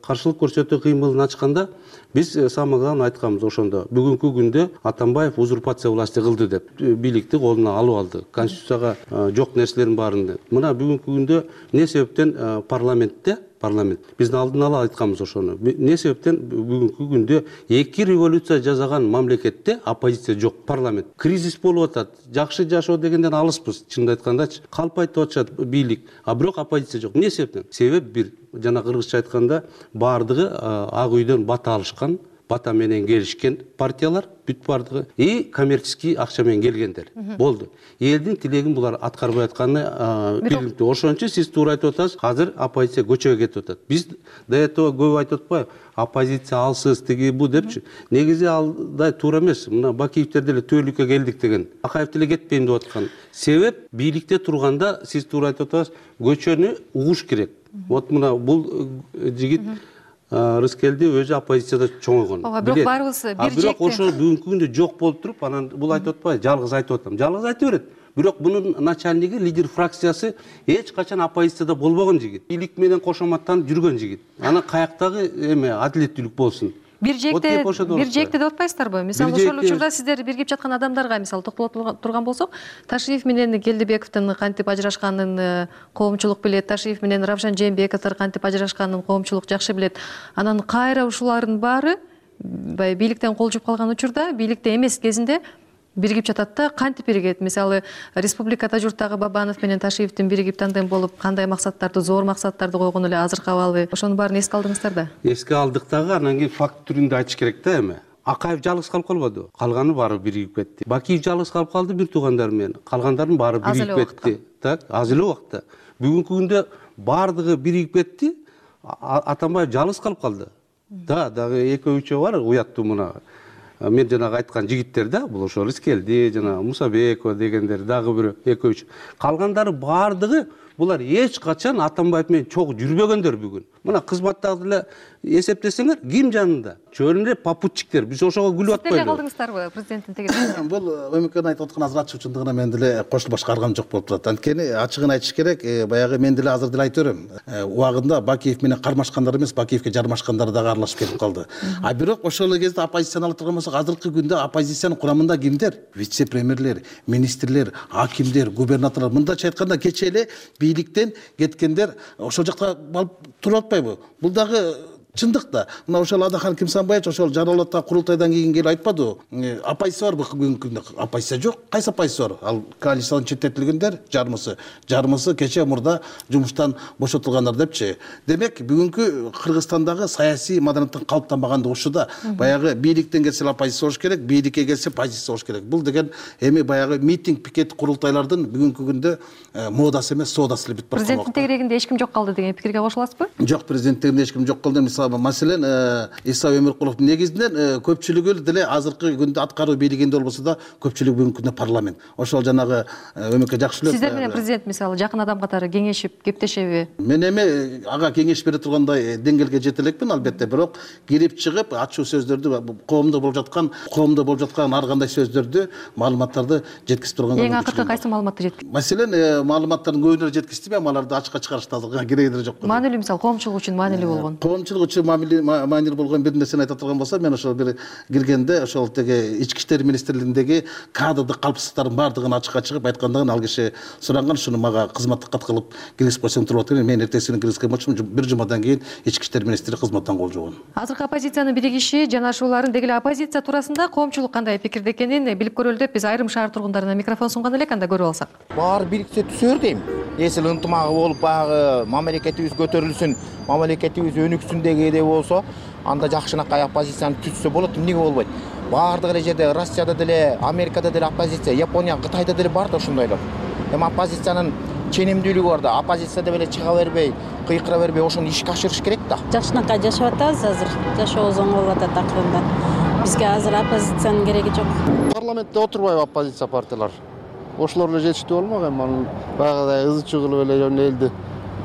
каршылык көрсөтүү кыймылын ачканда биз самыган айтканбыз ошондо. Бүгүнкү күндө Атамбаев узурпация власти кылды деп бийликти колуна алып алды. Конституцияга жок нерселердин баарын. Мына бүгүнкү күндө эмне себептен парламентте парламент биздин алдын ала айтканбыз ошону. Эмне себептен бүгүнкү күндө эки революция жасаган мамлекетте оппозиция жок, парламент. Кризис болуп атат. Жакшы жашоо дегенден алыспыз, чынын айткандачы. Калп айтып атышат бийлик, а бирок оппозиция жок. Эмне себептен? Себеп бир, жана кыргызча айтканда бардыгы ак үйдөн бата алышкан, бата менен келишкен партиялар бүт бардыгы и коммерческий акча менен келгендер. Болду. Элдин тилегин булар аткарбай атканы биликтүү. Ошон үчүн сиз туура айтып атасыз. Азыр оппозиция көчөгө кетип атат. Биз до этого көп айтып атпайбы? Оппозиция алсыз тиги бу депчи. Негизи алдай туура эмес. Мына Бакиевдер деле төөлүккө келдик деген. Акаев деле кетпейм деп аткан. Себеп бийликте турганда сиз туура айтып атасыз. Көчөнү угуш керек. Вот мына бул жигит Рыскелди өзү оппозицияда чоңойгон. Бирок баарыбыз бир жекте. Бирок ошол бүгүнкү күндө жок болуп туруп, анан бул айтып атпайбы? Жалгыз айтып атам. Жалгыз айта берет. Бирок бунун начальниги, лидер фракциясы эч качан оппозицияда болбогон жигит. Бийлик менен кошоматтанып жүргөн жигит. Анан каяктагы эме адилеттүүлүк болсун. Бир жекте, бир жекте деп атпайсыздарбы? Мисалы, ошол учурда сиздер биригип жаткан адамдарга, мисалы, токтоло турган болсок, Ташиев менен Келдибековдун кантип ажырашканын коомчулук билет, Ташиев менен Равшан Жээнбековдор кантип ажырашканын коомчулук жакшы билет. Анан кайра ушулардын баары бийликтен кол жууп калган учурда, бийликте эмес кезинде биригип жатат да, кантип биригет? Мисалы, республикада журттагы Бабанов менен Ташиевдин биригип тандем болуп, кандай максаттарды, зор максаттарды койгон эле азыркы абалы, ошонун баарын эске алдыңыздар да? Эске алдык дагы, анан кийин факт түрүндө айтыш керек да эми. Акаев жалгыз калып калбады, калганы баары биригип кетти. Бакиев жалгыз калып калды бир туугандары менен, калгандардын баары биригип кетти. Так, аз эле убакта. Бүгүнкү күндө баардыгы биригип кетти, Атамбаев жалгыз калып калды. Да, дагы экөө үчөө бар, уяттуу мына. Мен жанагы айткан жигиттер да, бул ошол Искелди, жана Мусабекова дегендер, дагы бирөө экөө үч. Калгандары баардыгы булар эч качан Атамбаев менен чогуу жүрбөгөндөр бүгүн. Мына кызматтагы эле эсептесеңер, ким жанында? Чөөнүндө попутчиктер. Биз ошого күлүп атпайбы? Сиздер калдыңыздарбы президенттин тегерегинде? Бул Өмүкөн айтып аткан азыр ачык чындыгына мен деле кошулуп башкарган жок болуп турат. Анткени ачыгын айтыш керек, баягы мен деле азыр деле айтып берем. Убагында Бакиев менен кармашкандар эмес, Бакиевке жармашкандар дагы аралашып кетип калды. А бирок ошол эле кезде оппозицияны алып турган болсок, азыркы күндө оппозициянын курамында кимдер? Вице-премьерлер, министрлер, акимдер, губернаторлор. Мындайча айтканда, кечээ эле бийликтен кеткендер ошол жакта туруп атпайбы? Бул дагы чындык да. Мына ошол Адахан Кимсанбаевич ошол Жаралатта курултайдан кийин келип айтпадыбы? Оппозиция бар бүгүнкү күндө. Оппозиция жок. Кайсы оппозиция бар? Ал коалициядан четтетилгендер жармысы, жармысы кечээ мурда жумуштан бошотулгандар депчи. Демек, бүгүнкү Кыргызстандагы саясий маданияттын калыптанбагандыгы ушуда. Баягы бийликтен келсе оппозиция болуш керек, бийликке келсе позиция болуш керек. Бул деген эми баягы митинг, пикет, курултайлардын бүгүнкү күндө модасы эмес, соодасы эле бүтүп барат. Президенттин тегерегинде эч ким жок калды деген пикирге кошуласызбы? Жок, президенттин эч ким жок калды. Маселен, Иса Өмүркуловдун негизинен көпчүлүгү деле азыркы күндө аткаруу бийлигинде болбосо да көпчүлүгү бүгүнкү күндө парламент. Ошол жанагы Өмүкө жакшы эле. Сиздер менен президент мисалы жакын адам катары кеңешип, кептешеби? Мен эми ага кеңеш бере тургандай деңгээлге жете элекмин, албетте, бирок кирип чыгып ачуу сөздөрдү, коомдо болуп жаткан, коомдо болуп жаткан ар кандай сөздөрдү, маалыматтарды жеткизип турган. Эң акыркы кайсы маалыматты жеткиздиңиз? Маселен, маалыматтардын көбүнө жеткиздим, эми аларды ачыкка чыгарышты азыркы кереги деле жок. Маанилүү мисалы коомчулук үчүн маанилүү болгон. Коомчулук үчүн маанилүү болгон бир нерсени айта турган болсом, мен ошол бир киргенде ошол теге ички иштер министрлигиндеги кадрдык калпсыздыктардын баардыгын ачыкка чыгып айткандыгын ал киши суранган, шуну мага кызматтык кат кылып киргизип койсоң туруп атат. Мен эртеси күнү киргизген болчумун, бир жумадан кийин ички иштер министри кызматтан кол жуган. Азыркы оппозициянын биригиши, жанашууларын, деги эле оппозиция туурасында коомчулук кандай пикирде экенин билип көрөлү деп биз айрым шаар тургундарына микрофон сунган элек, анда көрүп алсак. Баары бириксе түсөр дейм. Эсил ынтымагы болуп баягы мамлекетибиз көтөрүлсүн, мамлекетибиз өнүксүн дегенде болсо, анда жакшынакай оппозицияны түзсө болот. Эмнеге болбойт? Баардык эле жерде, Россияда деле, Америкада деле оппозиция, Япония, Кытайда деле бар да ошондойлор. Эми оппозициянын ченемдүүлүгү бар да, оппозиция деп эле чыга бербей, кыйкыра бербей, ошону ишке ашырыш керек да. Жакшынакай жашап атабыз азыр. Жашообуз оңой болуп атат акырында. Бизге азыр оппозициянын кереги жок. Парламентте отурбайбы оппозиция партиялар? Ошолор эле жетиштүү болмок, эми анын баягыдай ызы чуу кылып эле элди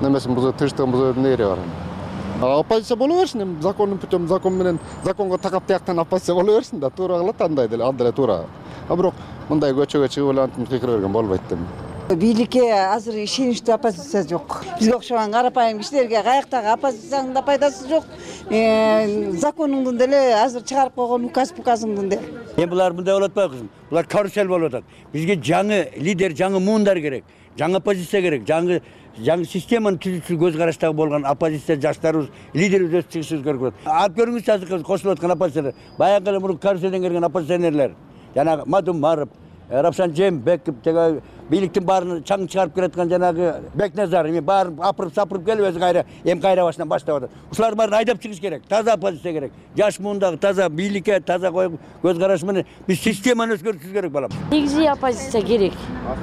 немесин бузуп, тынчтыгын бузуу эмне кереги бар? Оппозиция боло берсин, эми закондун путем, закон менен, законго такап тияктан оппозиция боло берсин да, туура кылат андай деле, ал деле туура. А бирок мындай көчөгө чыгып эле антип кыйкыра берген болбойт дейм. Бийликке азыр ишеничтүү оппозиция жок. Бизге окшогон карапайым кишилерге каяктагы оппозициянын да пайдасы жок. Законуңдун деле азыр чыгарып койгон указ пуказыңдын деле. Эми булар мындай болуп атпайбы кызым? Булар карусель болуп атат. Бизге жаңы лидер, жаңы муундар керек, жаңы оппозиция керек, жаңы жаңы системаны түзүүчү көз караштагы болгон оппозиция жаштарыбыз, лидерибиз өсүп чыгышыбыз керек. Алып көрүңүзчү азыр кошулуп аткан оппозициялар. Баягы эле мурун каруселден келген оппозиционерлер. Жанагы Мадумаров, Равшан Жээнбеков, теге бийликтин баарын чаң чыгарып келаткан жанагы Бекназар, эми баарын апырып сапырып келип өзү кайра эми кайра башынан баштап атат. Ушулардын баарын айдап чыгыш керек. Таза оппозиция керек. Жаш муундагы таза бийликке, таза көз караш менен биз системаны өзгөртүшүбүз керек балам. Негизи оппозиция керек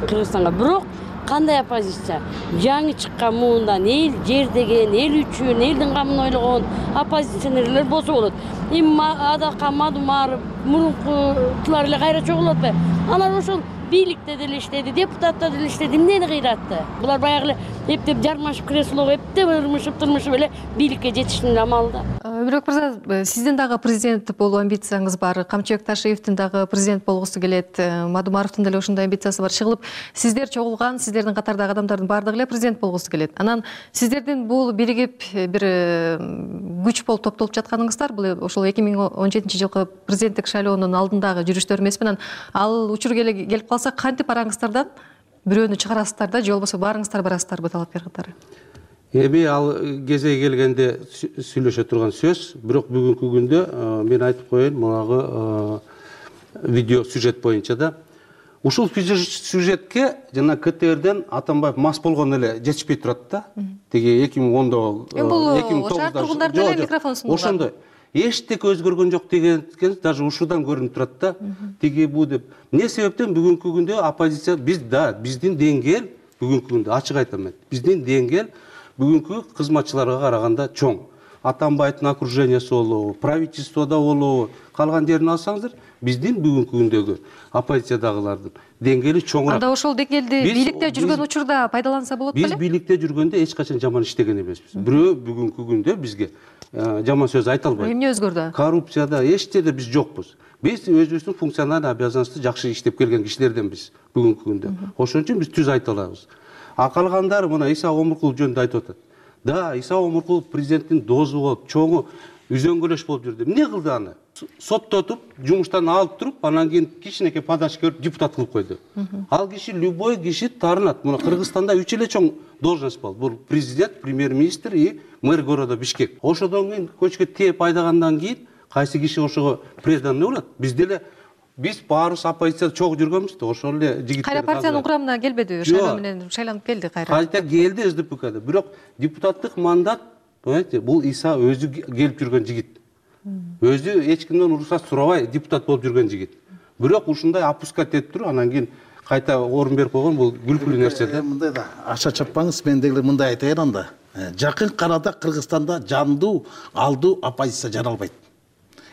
Кыргызстанга. Бирок кандай оппозиция? Жаңы чыккан муундан эл жер деген, эл үчүн, элдин камын ойлогон оппозиционерлер болсо болот. Эми Адахан Мадумаров мурункулар эле кайра чогулуп атпайбы? Алар ошол бийликте деле иштеди, депутатта деле иштеди, эмнени кыйратты? Булар баягы эле эптеп жармашып креслого эптеп ырмышып, турмушуп эле бийликке жетиштин амалы да. Өмүрбек мырза, сиздин дагы президент болуу амбицияңыз бар, Камчыбек Ташиевдин дагы президент болгусу келет, Мадумаровдун деле ошондой амбициясы бар. Чыгылып, сиздер чогулган, сиздердин катардагы адамдардын баардыгы эле президент болгусу келет. Анан сиздердин бул биригип бир күч болуп топтолуп жатканыңыздар, бул ошол эки миң он жетинчи жылкы президенттик шайлоонун алдындагы жүрүштөр эмес менен ал учур келип калса кантип араңыздардан бирөөнү чыгарасыздар да, же болбосо баарыңыздар барасыздарбы талапкер катары? Эми ал кезеги келгенде сүйлөшө турган сөз, бирок бүгүнкү күндө мен айтып коеюн, мунагы видео сюжет боюнча да ушул сюжетке жана КТРден Атамбаев мас болгон эле жетишпей турат да. Теги эки миң ондо эки миң тогузда шаар тургундары деле микрофон сунуган. Ошондой. эчтеке өзгөргөн жок деген даже ушудан көрүнүп турат да. Тиги бу деп. Эмне себептен бүгүнкү күндө оппозиция биз да биздин деңгээл бүгүнкү күндө ачык айтам мен. Биздин деңгээл бүгүнкү кызматчыларга караганда чоң. Атамбаевдин окружениясы болобу, правительстводо болобу, калган жерин алсаңыздар, биздин бүгүнкү күндөгү оппозициядагылардын деңгээли чоңураак. Анда ошол деңгээлди бийликте жүргөн учурда пайдаланса болот беле? Биз бийликте жүргөндө эч качан жаман иштеген эмеспиз. Бирөө бүгүнкү күндө бизге жаман сөз айта албайт. Эмне өзгөрдү? Коррупцияда эч жерде биз жокпуз. Биз өзүбүздүн функциональный обязанностьту жакшы иштеп келген кишилерденбиз бүгүнкү күндө. Ошон үчүн биз түз айта алабыз. А калгандары мына Иса Омуркулов жөнүндө айтып атат. Да, Иса Омуркулов президенттин дозу болуп, чоңу үзөңгөлөш болуп жүрдү. Эмне кылды аны? Соттотуп, жумуштан алып туруп, анан кийин кичинекей подачка берип депутат кылып койду. Ал киши любой киши таарынат. Мына Кыргызстанда үч эле чоң должность бар. Бул президент, премьер-министр и мэр города Бишкек. Ошодон кийин көчкө тээп айдагандан кийин кайсы киши ошого преданный болот? Биз деле биз баарыбыз оппозицияда чогуу жүргөнбүз да, ошол эле жигиттер. Кайра партиянын курамына келбедиби? Шайлоо менен шайланып келди кайра. Кайта келди СДПКда. Бирок депутаттык мандат, понимаете, бул Иса өзү келип жүргөн жигит. Өзү эч кимден уруксат сурабай депутат болуп жүргөн жигит. Бирок ушундай опускать этип туруп, анан кийин кайта орун берип койгон бул күлкүлүү нерсе да. Мындай да аша чаппаңыз, мен дегиле мындай айтайын анда. Жакын карада Кыргызстанда жандуу, алдуу оппозиция жаралбайт.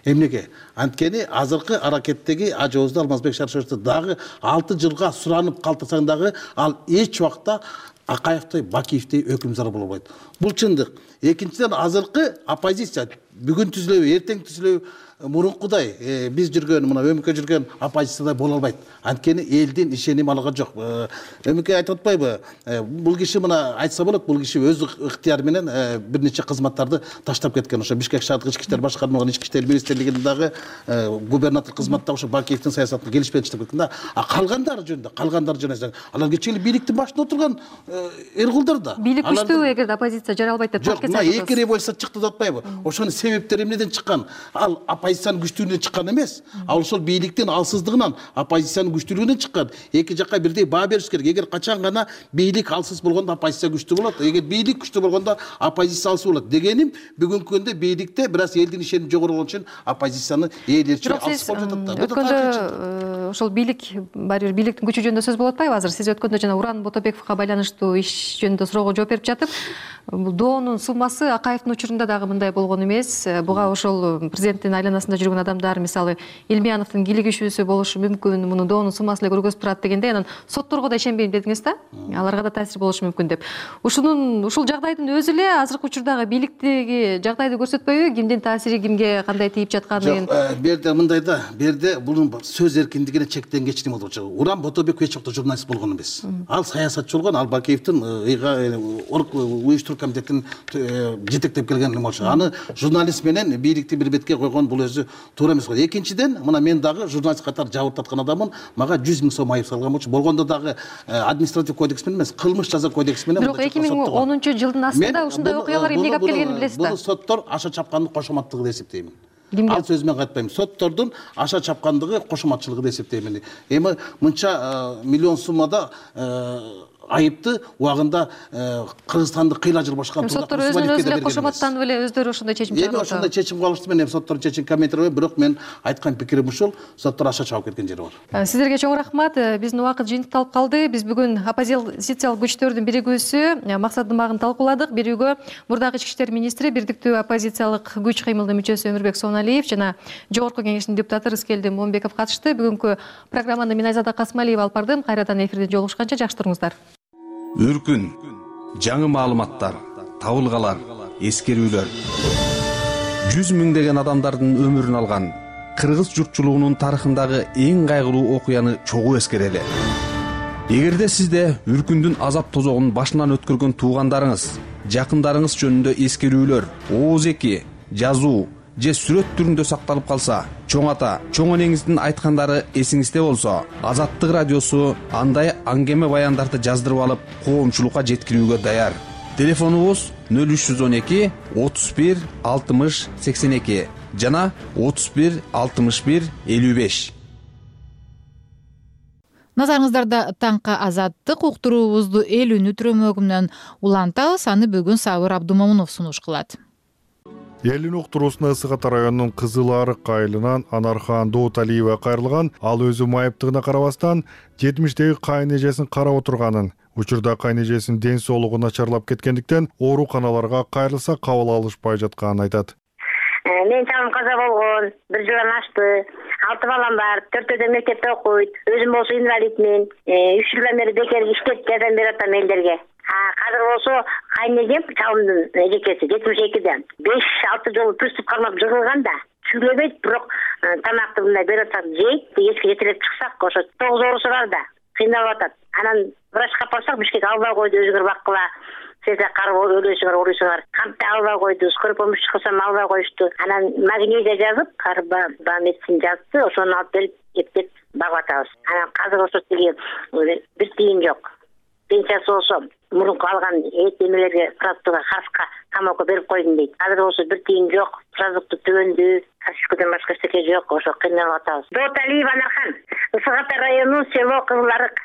Эмнеге? Анткени азыркы аракеттеги Ажоозду Алмазбек Шаршеровду дагы алты жылга суранып калтырсаң дагы ал эч убакта Акаевдей, Бакиевдей өкүмзар боло албайт. Бул чындык. Экинчиден, азыркы оппозиция бүгүн түзүлөбү, эртең түзүлөбү, мурункудай биз жүргөн, мына өмүкө жүргөн оппозициядай боло албайт. Анткени элдин ишеними алган жок. Өмүкө айтып атпайбы? Бул киши мына айтса болот, бул киши өз ыктыяры менен бир нече кызматтарды таштап кеткен. Ошо Бишкек шаардык ички иштер башкармалыгын ички иштер министрлигинин дагы губернатор кызматында ошо Бакиевдин саясатын келишпей таштап кеткен да. А калгандары жөнүндө, калгандары жөнүндө алар кечээ бийликтин башында отурган эркулдар да. Бийлик күчтүү, эгерде оппозиция жаралбайт деп жок, мына эки революция чыкты деп атпайбы? Ошонун себептери эмнеден чыккан? Ал оппозициянын күчтүүлүгүнөн чыккан эмес. Ал ошол бийликтин алсыздыгынан, оппозициянын күчтүүлүгүнөн чыккан. Эки жакка бирдей баа бериш керек. Эгер качан гана бийлик алсыз болгондо оппозиция күчтүү болот, эгер бийлик күчтүү болгондо оппозиция алсыз болот. Дегеним, бүгүнкү күндө бийликте бир аз элдин ишеними жогору болгон үчүн оппозициянын ээлерчи алсыз болуп жатат да. Өткөндө ошол бийлик, баары бир бийликтин күчү жөнүндө сөз болуп атпайбы азыр? Сиз өткөндө жана Уран Ботобековго байланыштуу иш жөнүндө суроого жооп берип жатып, бул доонун суммасы Акаевдин учурунда дагы мындай болгон эмес. Буга ошол президенттин айланасында жүргөн адамдар, мисалы Илмияновдун кийлигишүүсү болушу мүмкүн, муну доонун суммасы эле көргөзүп турат дегенде, анан сотторго да ишенбейм дедиңиз да, аларга да таасир болушу мүмкүн деп. Ушунун ушул жагдайдын өзү эле азыркы учурдагы бийликтеги жагдайды көрсөтпөйбү? Кимдин таасири кимге кандай тийип жатканын? Жок, бу жерде мындай да, бу жерде бунун сөз эркиндигине чектенгечтик болуп жатат. Уран Ботобеков эч убакта журналист болгон эмес. Ал саясатчы болгон, ал Бакиевдин уюштуруу комитетин жетектеп келген нема болчу. Аны журналист менен бийликти бир бетке койгон бул өзү туура эмес. Экинчиден, мына мен дагы журналист катары жабырып таткан адаммын. Мага жүз миң сом айып салган болчу. Болгондо дагы административ кодекс менен эмес, кылмыш жаза кодекси менен. Бирок эки миң онунчу жылдын астында ушундай окуялар эмнеге алып келгенин билесиз да? Бул соттор аша чапкандын кошоматтыгы деп эсептейм. Ал сөз менен айтпайм. Соттордун аша чапкандыгы кошоматчылыгы деп эсептейм. Эми мынча миллион суммада айыпты убагында Кыргызстанды кыйла жыл башкарып турган. Соттор өзүнүн өзүнө кошоматтанып эле өздөрү ошондой чечим чыгарып атат. Эми ошондой чечим кабыл алышты. Мен соттордун чечим комментирой, бирок мен айткан пикирим ушул, соттор аша чабып кеткен жери бар. Сиздерге чоң рахмат. Биздин убакыт жыйынтыкталып калды. Биз бүгүн оппозициялык күчтөрдүн биригүүсү максат Дымагын талкууладык. Бирөөгө мурдагы ички иштер министри, бирдиктүү оппозициялык күч кыймылдын мүчөсү Өмүрбек Соналиев жана Жогорку Кеңештин депутаты Рыскелди Момбеков катышты. Бүгүнкү программаны мен Айзада Касмалиева алып бардым. Кайрадан эфирде жолугушканча жакшы туруңуздар. Үркүн, жаңы маалыматтар, табылгалар, эскерүүлөр. Жүз миңдеген адамдардын өмүрүн алган кыргыз журтчулугунун тарыхындагы эң кайгылуу окуяны чогуу эскерели. Эгерде сизде Үркүндүн азап тозогун башынан өткөргөн туугандарыңыз, жакындарыңыз жөнүндө эскерүүлөр, ооз эки, жазуу же сүрөт түрүндө сакталып калса, чоң ата, чоң энеңиздин айткандары эсиңизде болсо, Азаттык радиосу андай аңгеме баяндарды жаздырып алып, коомчулукка жеткирүүгө даяр. Телефонубуз нөл үч жүз он эки отуз бир алтымыш сексен эки жана отуз бир алтымыш бир элүү беш. Назарыңыздарда таңкы Азаттык уктуруубузду эл үнү түрөмөгүнөн улантабыз. Аны бүгүн Сабыр Абдумомунов сунуш кылат. элин уктуруусуна Ысык Ата районунун Кызыл Арык айылынан Анархан Дооталиева кайрылган. Ал өзү майыптыгына карабастан жетимиштеги кайын эжесин карап отурганын, учурда кайын эжесинин ден соолугу начарлап кеткендиктен ооруканаларга кайрылса кабыл алышпай жатканын айтат. Мен чалым каза болгон, бир жылдан ашты. Алты балам бар, төртөөдө мектепте окуйт. Өзүм болсо инвалидмин. үч жылдан бери бекер иштеп жардам берип атам элдерге. Азыр болсо кайын эжем чалымдын эжекеси жетимиш экиде беш алты жолу приступ кармап жыгылган да. Сүйлөбөйт, бирок тамакты мындай берип атат, жейт. Эчке жетелеп чыксак, ошо тогуз оорусу бар да. Кыйналып атат. Анан врачка апарсак, Бишкек албай койду, өзүңөр баккыла. Сизде карып өлөсүңөр, урусуңар. Кампты албай койду, скорый помощь чыксам албай коюшту. Анан магнезия жазып, карба медицин жазды, ошону алып берип эптеп багып атабыз. Анан азыр ошо тиги бир тиын жок. Пенсиясы болсо мурунку алган эт эмелерге продуктка хаска тамакка берип койдум дейт. Азыр болсо бир тиын жок, продукты түгөндү, кашкадан башка эчтеке жок, ошо кыйналып атабыз. Дооталиева Анархан, Ысык Ата району, село Кызыл Арык.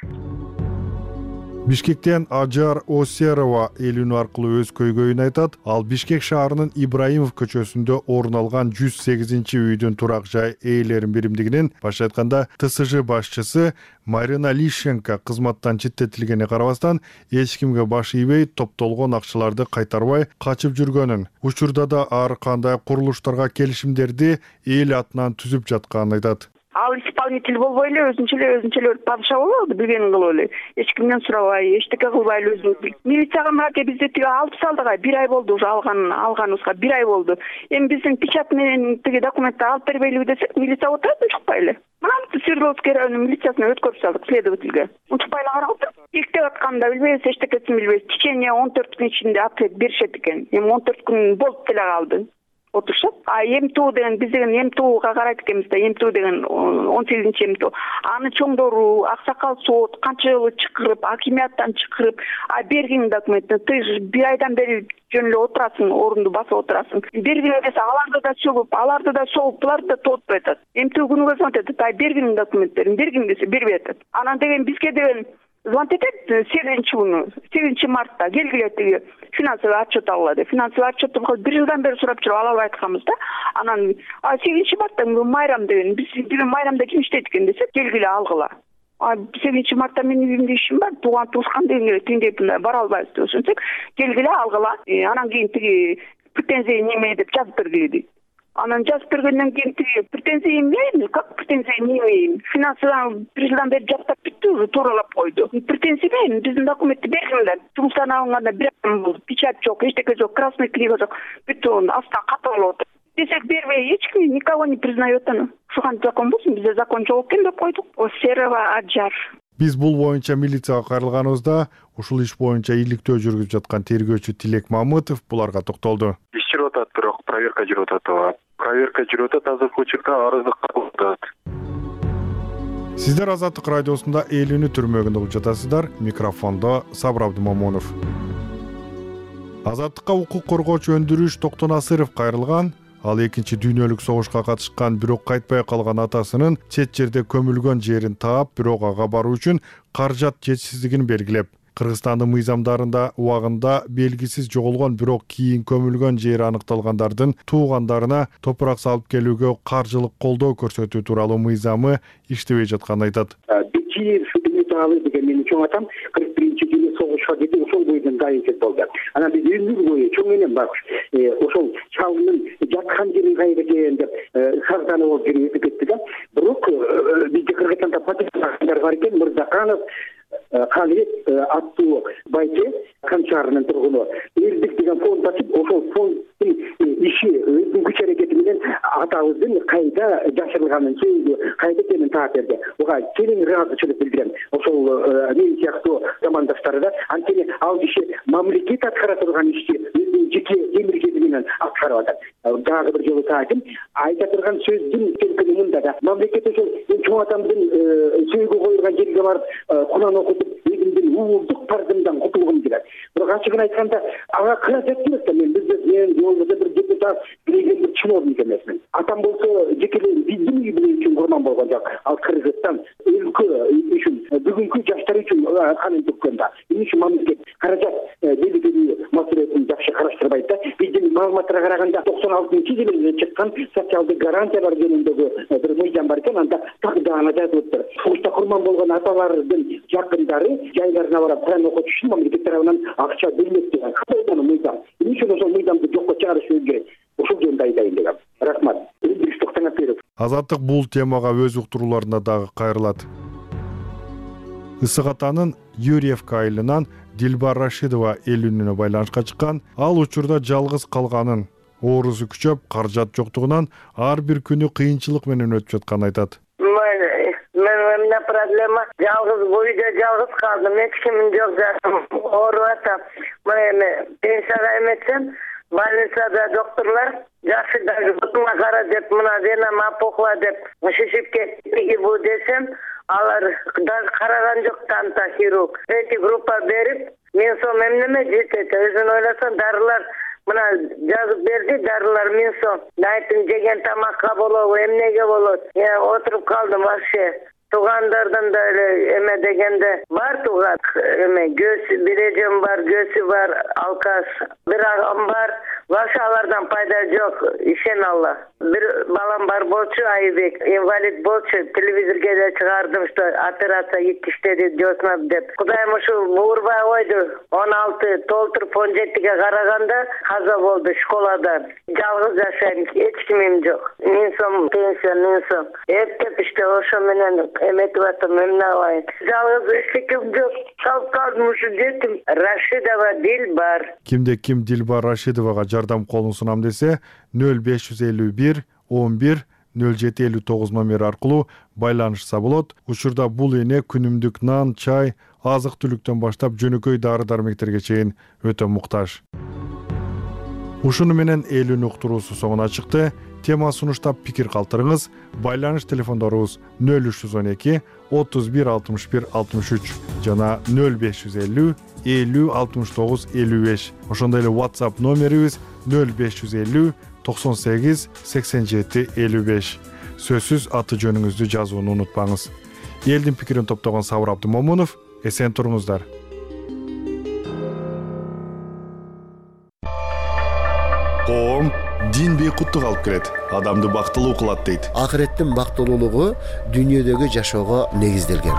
Бишкектен Ажар Осерова элүүнү аркылуу өз көйгөйүн айтат. Ал Бишкек шаарынын Ибраимов көчөсүндө орун алган жүз сегизинчи үйдүн турак жай ээлерин биримдигинин, башка айтканда Т С Ж башчысы Марина Лищенко кызматтан четтетилгенине карабастан эч кимге баш ийбей, топтолгон акчаларды кайтарбай качып жүргөнүн, учурда да ар кандай курулуштарга келишимдерди эл атынан түзүп жатканын айтат. Ал исполнитель болбой эле өзүнчө эле өзүнчө эле падыша болобу, билгенин кылып эле. Эч кимден сурабай, эчтеке кылбай эле өзү. Милицияга мынакей бизде тиги алып салдыга, бир ай болду уже алган алганыбызга, бир ай болду. Эми биздин печать менен тиги документти алып бербейлиби десек, милиция отурат, унчукпай эле. Мына Свердловский районунун милициясына өткөрүп салдык следовательге. Унчукпай эле карап отуруп, иктеп атканын да билбейбиз, эчтекесин билбейбиз. В течение он төрт күн ичинде ответ беришет экен. Эми он төрт күн болуп деле калды. Отурушат. А эмтуу деген биз деген эмтууга карайт экенбиз да, эмтуу деген он сегизинчи эмтуу. Аны чоңдору, аксакал сот канча жолу чакырып, акимияттан чакырып, а берген документти ты бир айдан бери жөн эле отурасың, орунду басып отурасың. Бергин десе аларды да сөгүп, аларды да согуп, буларды да тотпой атат. Эмтүү күнүгө звонить этет, ай бергин документтерин, бергин десе бербей атат. Анан деген бизге деген звонить этет сегизинчи күнү, сегизинчи мартта келгиле тиги финансовый отчет алгыла деп. Финансовый отчетту бир жылдан бери сурап жүрүп ала албай атканбыз да. Анан сегизинчи мартта майрам деген, биз деген майрамда ким иштейт экен десек, келгиле алгыла. А сегизинчи мартта менин үйүмдө ишим бар, тууган туушкан деген тиндей бара албайбыз деп ошентсек, келгиле алгыла. Анан кийин тиги претензия неме деп жазып бергиле дейт. Анан жазып бергенден кийин тиги претензия эмне, как претензия неме, финансовый бир жылдан бери жактап бүттү, тууралап койду. Претензия эмне, биздин документти бергиле. Жумуштан алынганда бир ай болду, печать жок, эчтеке жок, красный книга жок, бүттү астан ката болуп отур. Десек бербей, эч ким никого не признает аны. Ушуган закон болсун, бизде закон жок экен деп койдук. Осерова Аджар. Биз бул боюнча милицияга кайрылганыбызда ушул иш боюнча иликтөө жүргүзүп жаткан тергөөчү Тилек Мамытов буларга токтолду. Иш жүрүп атат, бирок проверка жүрүп атат. Проверка жүрүп атат, азыркы учурда арызды кабыл атат. Сиздер Азаттык радиосунда элүүнү түрмөгүндө угуп жатасыздар. Микрофондо Сабыр Абдымомунов. Азаттыкка укук коргоочу Өндүрүш Токтонасыров кайрылган. Ал экинчи дүйнөлүк согушка катышкан, бирок кайтпай калган атасынын чет жерде көмүлгөн жерин таап, бирок ага баруу үчүн каражат жетишсиздигин белгилеп, Кыргызстандын мыйзамдарында убагында белгисиз жоголгон, бирок кийин көмүлгөн жери аныкталгандардын туугандарына топурак салып келүүгө каржылык колдоо көрсөтүү тууралуу мыйзамы иштебей жатканын айтат. Деген менин чоң атам кырк биринчи жылы согушка кетип, ошол бойдон дайынчылык болду. Анан биз өмүр бою чоң энем барбыз. Ошол чалымдын жаткан жерин кайда экен деп сагданып болуп жүрүп кетти да. Бирок бизде Кыргызстанда патриоттар бар экен, Мырзаканов Калибек аттуу байке Камчарынын тургуну элдик деген фонд ачып, ошол фонддун иши өзүнүн күч аракети менен атабыздын кайда жашырылганын сөйдү, кайда экенин таап берди. Ага кең ыраазычылык билдирем. Ошол мен сыяктуу замандаштары да анткени ал киши мамлекет аткара турган ишти өзүнүн жеке эмгеги менен аткарып атат. Дагы бир жолу таатым айта турган сөздүн келгени мында да. Мамлекет ошол чоң атамдын сөйгө коюлган жерге барып Куран окутуп, өзүмдүн уулдук парызымдан кутулгум келет. Бирок ачыгын айтканда ага каражат эмес да, мен биз мен болбосо бир депутат, биреген бир чиновник эмесмин. Атам болсо жекелей биздин үй бүлө үчүн курман болгон жок. Ал Кыргызстан өлкө үчүн, бүгүнкү жаштар үчүн канын төккөн да. Эмне үчүн мамлекет каражат белгилүү маселесин жакшы караштырып чакырбайт да. Биздин маалыматтарга караганда токсон алтынчы жылы чыккан социалдык гарантиялар жөнүндөгү бир мыйзам бар экен. Анда так даана жазылыптыр. Согушта курман болгон аталардын жакындары жайларына барып Куран окутуш үчүн мамлекет тарабынан акча бөлүнөт деген. Кандай мыйзам? Эмне үчүн ошол мыйзамды жокко чыгарышыбыз керек? Ошол жөнүндө айтайын дегем. Рахмат. Элдик Токтоңапберов. Азаттык бул темага өз уктурууларында дагы кайрылат. Ысык атанын Юрьевка айылынан Дилбар Рашидова эл үнүнө байланышка чыккан. Ал учурда жалгыз калганын, оорусу күчөп, каражат жоктугунан ар бир күнү кыйынчылык менен өтүп жатканын айтат. Мен у меня проблема. Жалгыз бойда жалгыз калдым. Эч кимим жок жатам. Ооруп атам. Мен пенсияга эметсем, больницада докторлор жакшы даже бутуңа кара деп, мына вена мапохла деп шишип кетти бу десем, алар даже караган жок, танта хирург. Третий группа берип, мен сом эмнеме жетет? Өзүн ойлосом, дарылар мына жазып берди, дарылар мен сом. Айттым, жеген тамакка болобу, эмнеге болот? Я отуруп калдым вообще. Туугандардан да эле эме дегенде бар тууган эме көз бир эжем бар, көзү бар, алкаш, бир агам бар. Вообще алардан пайда жок, ишен Алла. Бир балам бар болчу, Айбек, инвалид болчу, телевизорге да чыгардым, что операция иттиштеди жоснап деп. Кудайым ушу буурбай койду. он алты толтуруп он жетиге караганда каза болду школада. Жалгыз жашайм, эч кимим жок. Мен сом пенсия, мен сом. Эптеп иште ошо менен эметип атам, эмне кылайын. Жалгыз эчким жок. Калып калдым ушу жетим. Рашидова Дилбар. Кимде ким Дилбар Рашидовага жардам колун сунам десе, нөл беш жүз элүү бир он бир нөл жети элүү тогуз номери аркылуу байланышса болот. Учурда бул эне күнүмдүк нан, чай, азык-түлүктөн баштап жөнөкөй дары-дармектерге чейин өтө муктаж. Ушуну менен эл үнү уктуруусу соңуна чыкты. Тема сунуштап пикир калтырыңыз. Байланыш телефондорубуз нөл үч жүз он эки отуз бир алтымыш бир алтымыш үч жана нөл беш жүз элүү элүү алтымыш тогуз элүү беш. Ошондой эле WhatsApp номерибиз нөл беш жүз элүү токсон сегиз сексен жети элүү беш. Сөзсүз аты жөнүңүздү жазууну унутпаңыз. Элдин пикирин топтогон Сабыр Абдымомунов, эсен туруңуздар. Коом дин бейкуттук алып келет, адамды бактылуу кылат дейт. Акыреттин бактылуулугу дүйнөдөгү жашоого негизделген.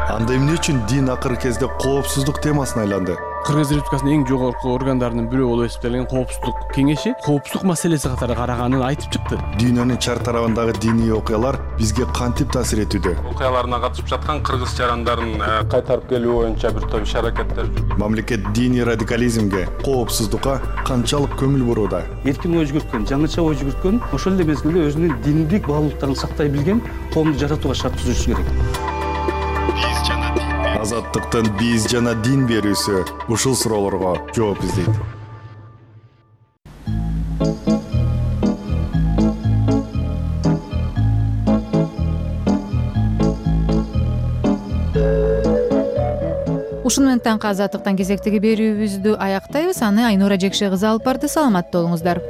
Анда эмне үчүн дин акыркы кезде коопсуздук темасына айланды? Кыргыз Республикасынын эң жогорку органдарынын бирөө болуп эсептелген коопсуздук кеңеши коопсуздук маселеси катары караганын айтып чыкты. Дүйнөнүн чар тарабындагы диний окуялар бизге кантип таасир этүүдө? Окуяларына катышып жаткан кыргыз жарандарын кайтарып келүү боюнча бир топ иш-аракеттер жүрүп. Мамлекет диний радикализмге, коопсуздукка канчалык көңүл бурууда? Эркин ой жүгүрткөн, жаңыча ой жүгүрткөн, ошол эле мезгилде өзүнүн диндик баалуулуктарын сактай билген коомду жаратууга шарт түзүшү керек. Азаттыктын биз жана дин берүүсү ушул суроолорго жооп издейт. Ушун менен таңкы азаттыктан кезектеги берүүбүздү аяктайбыз. Аны Айнура Жекше кызы алып барды. Саламатта болуңуздар.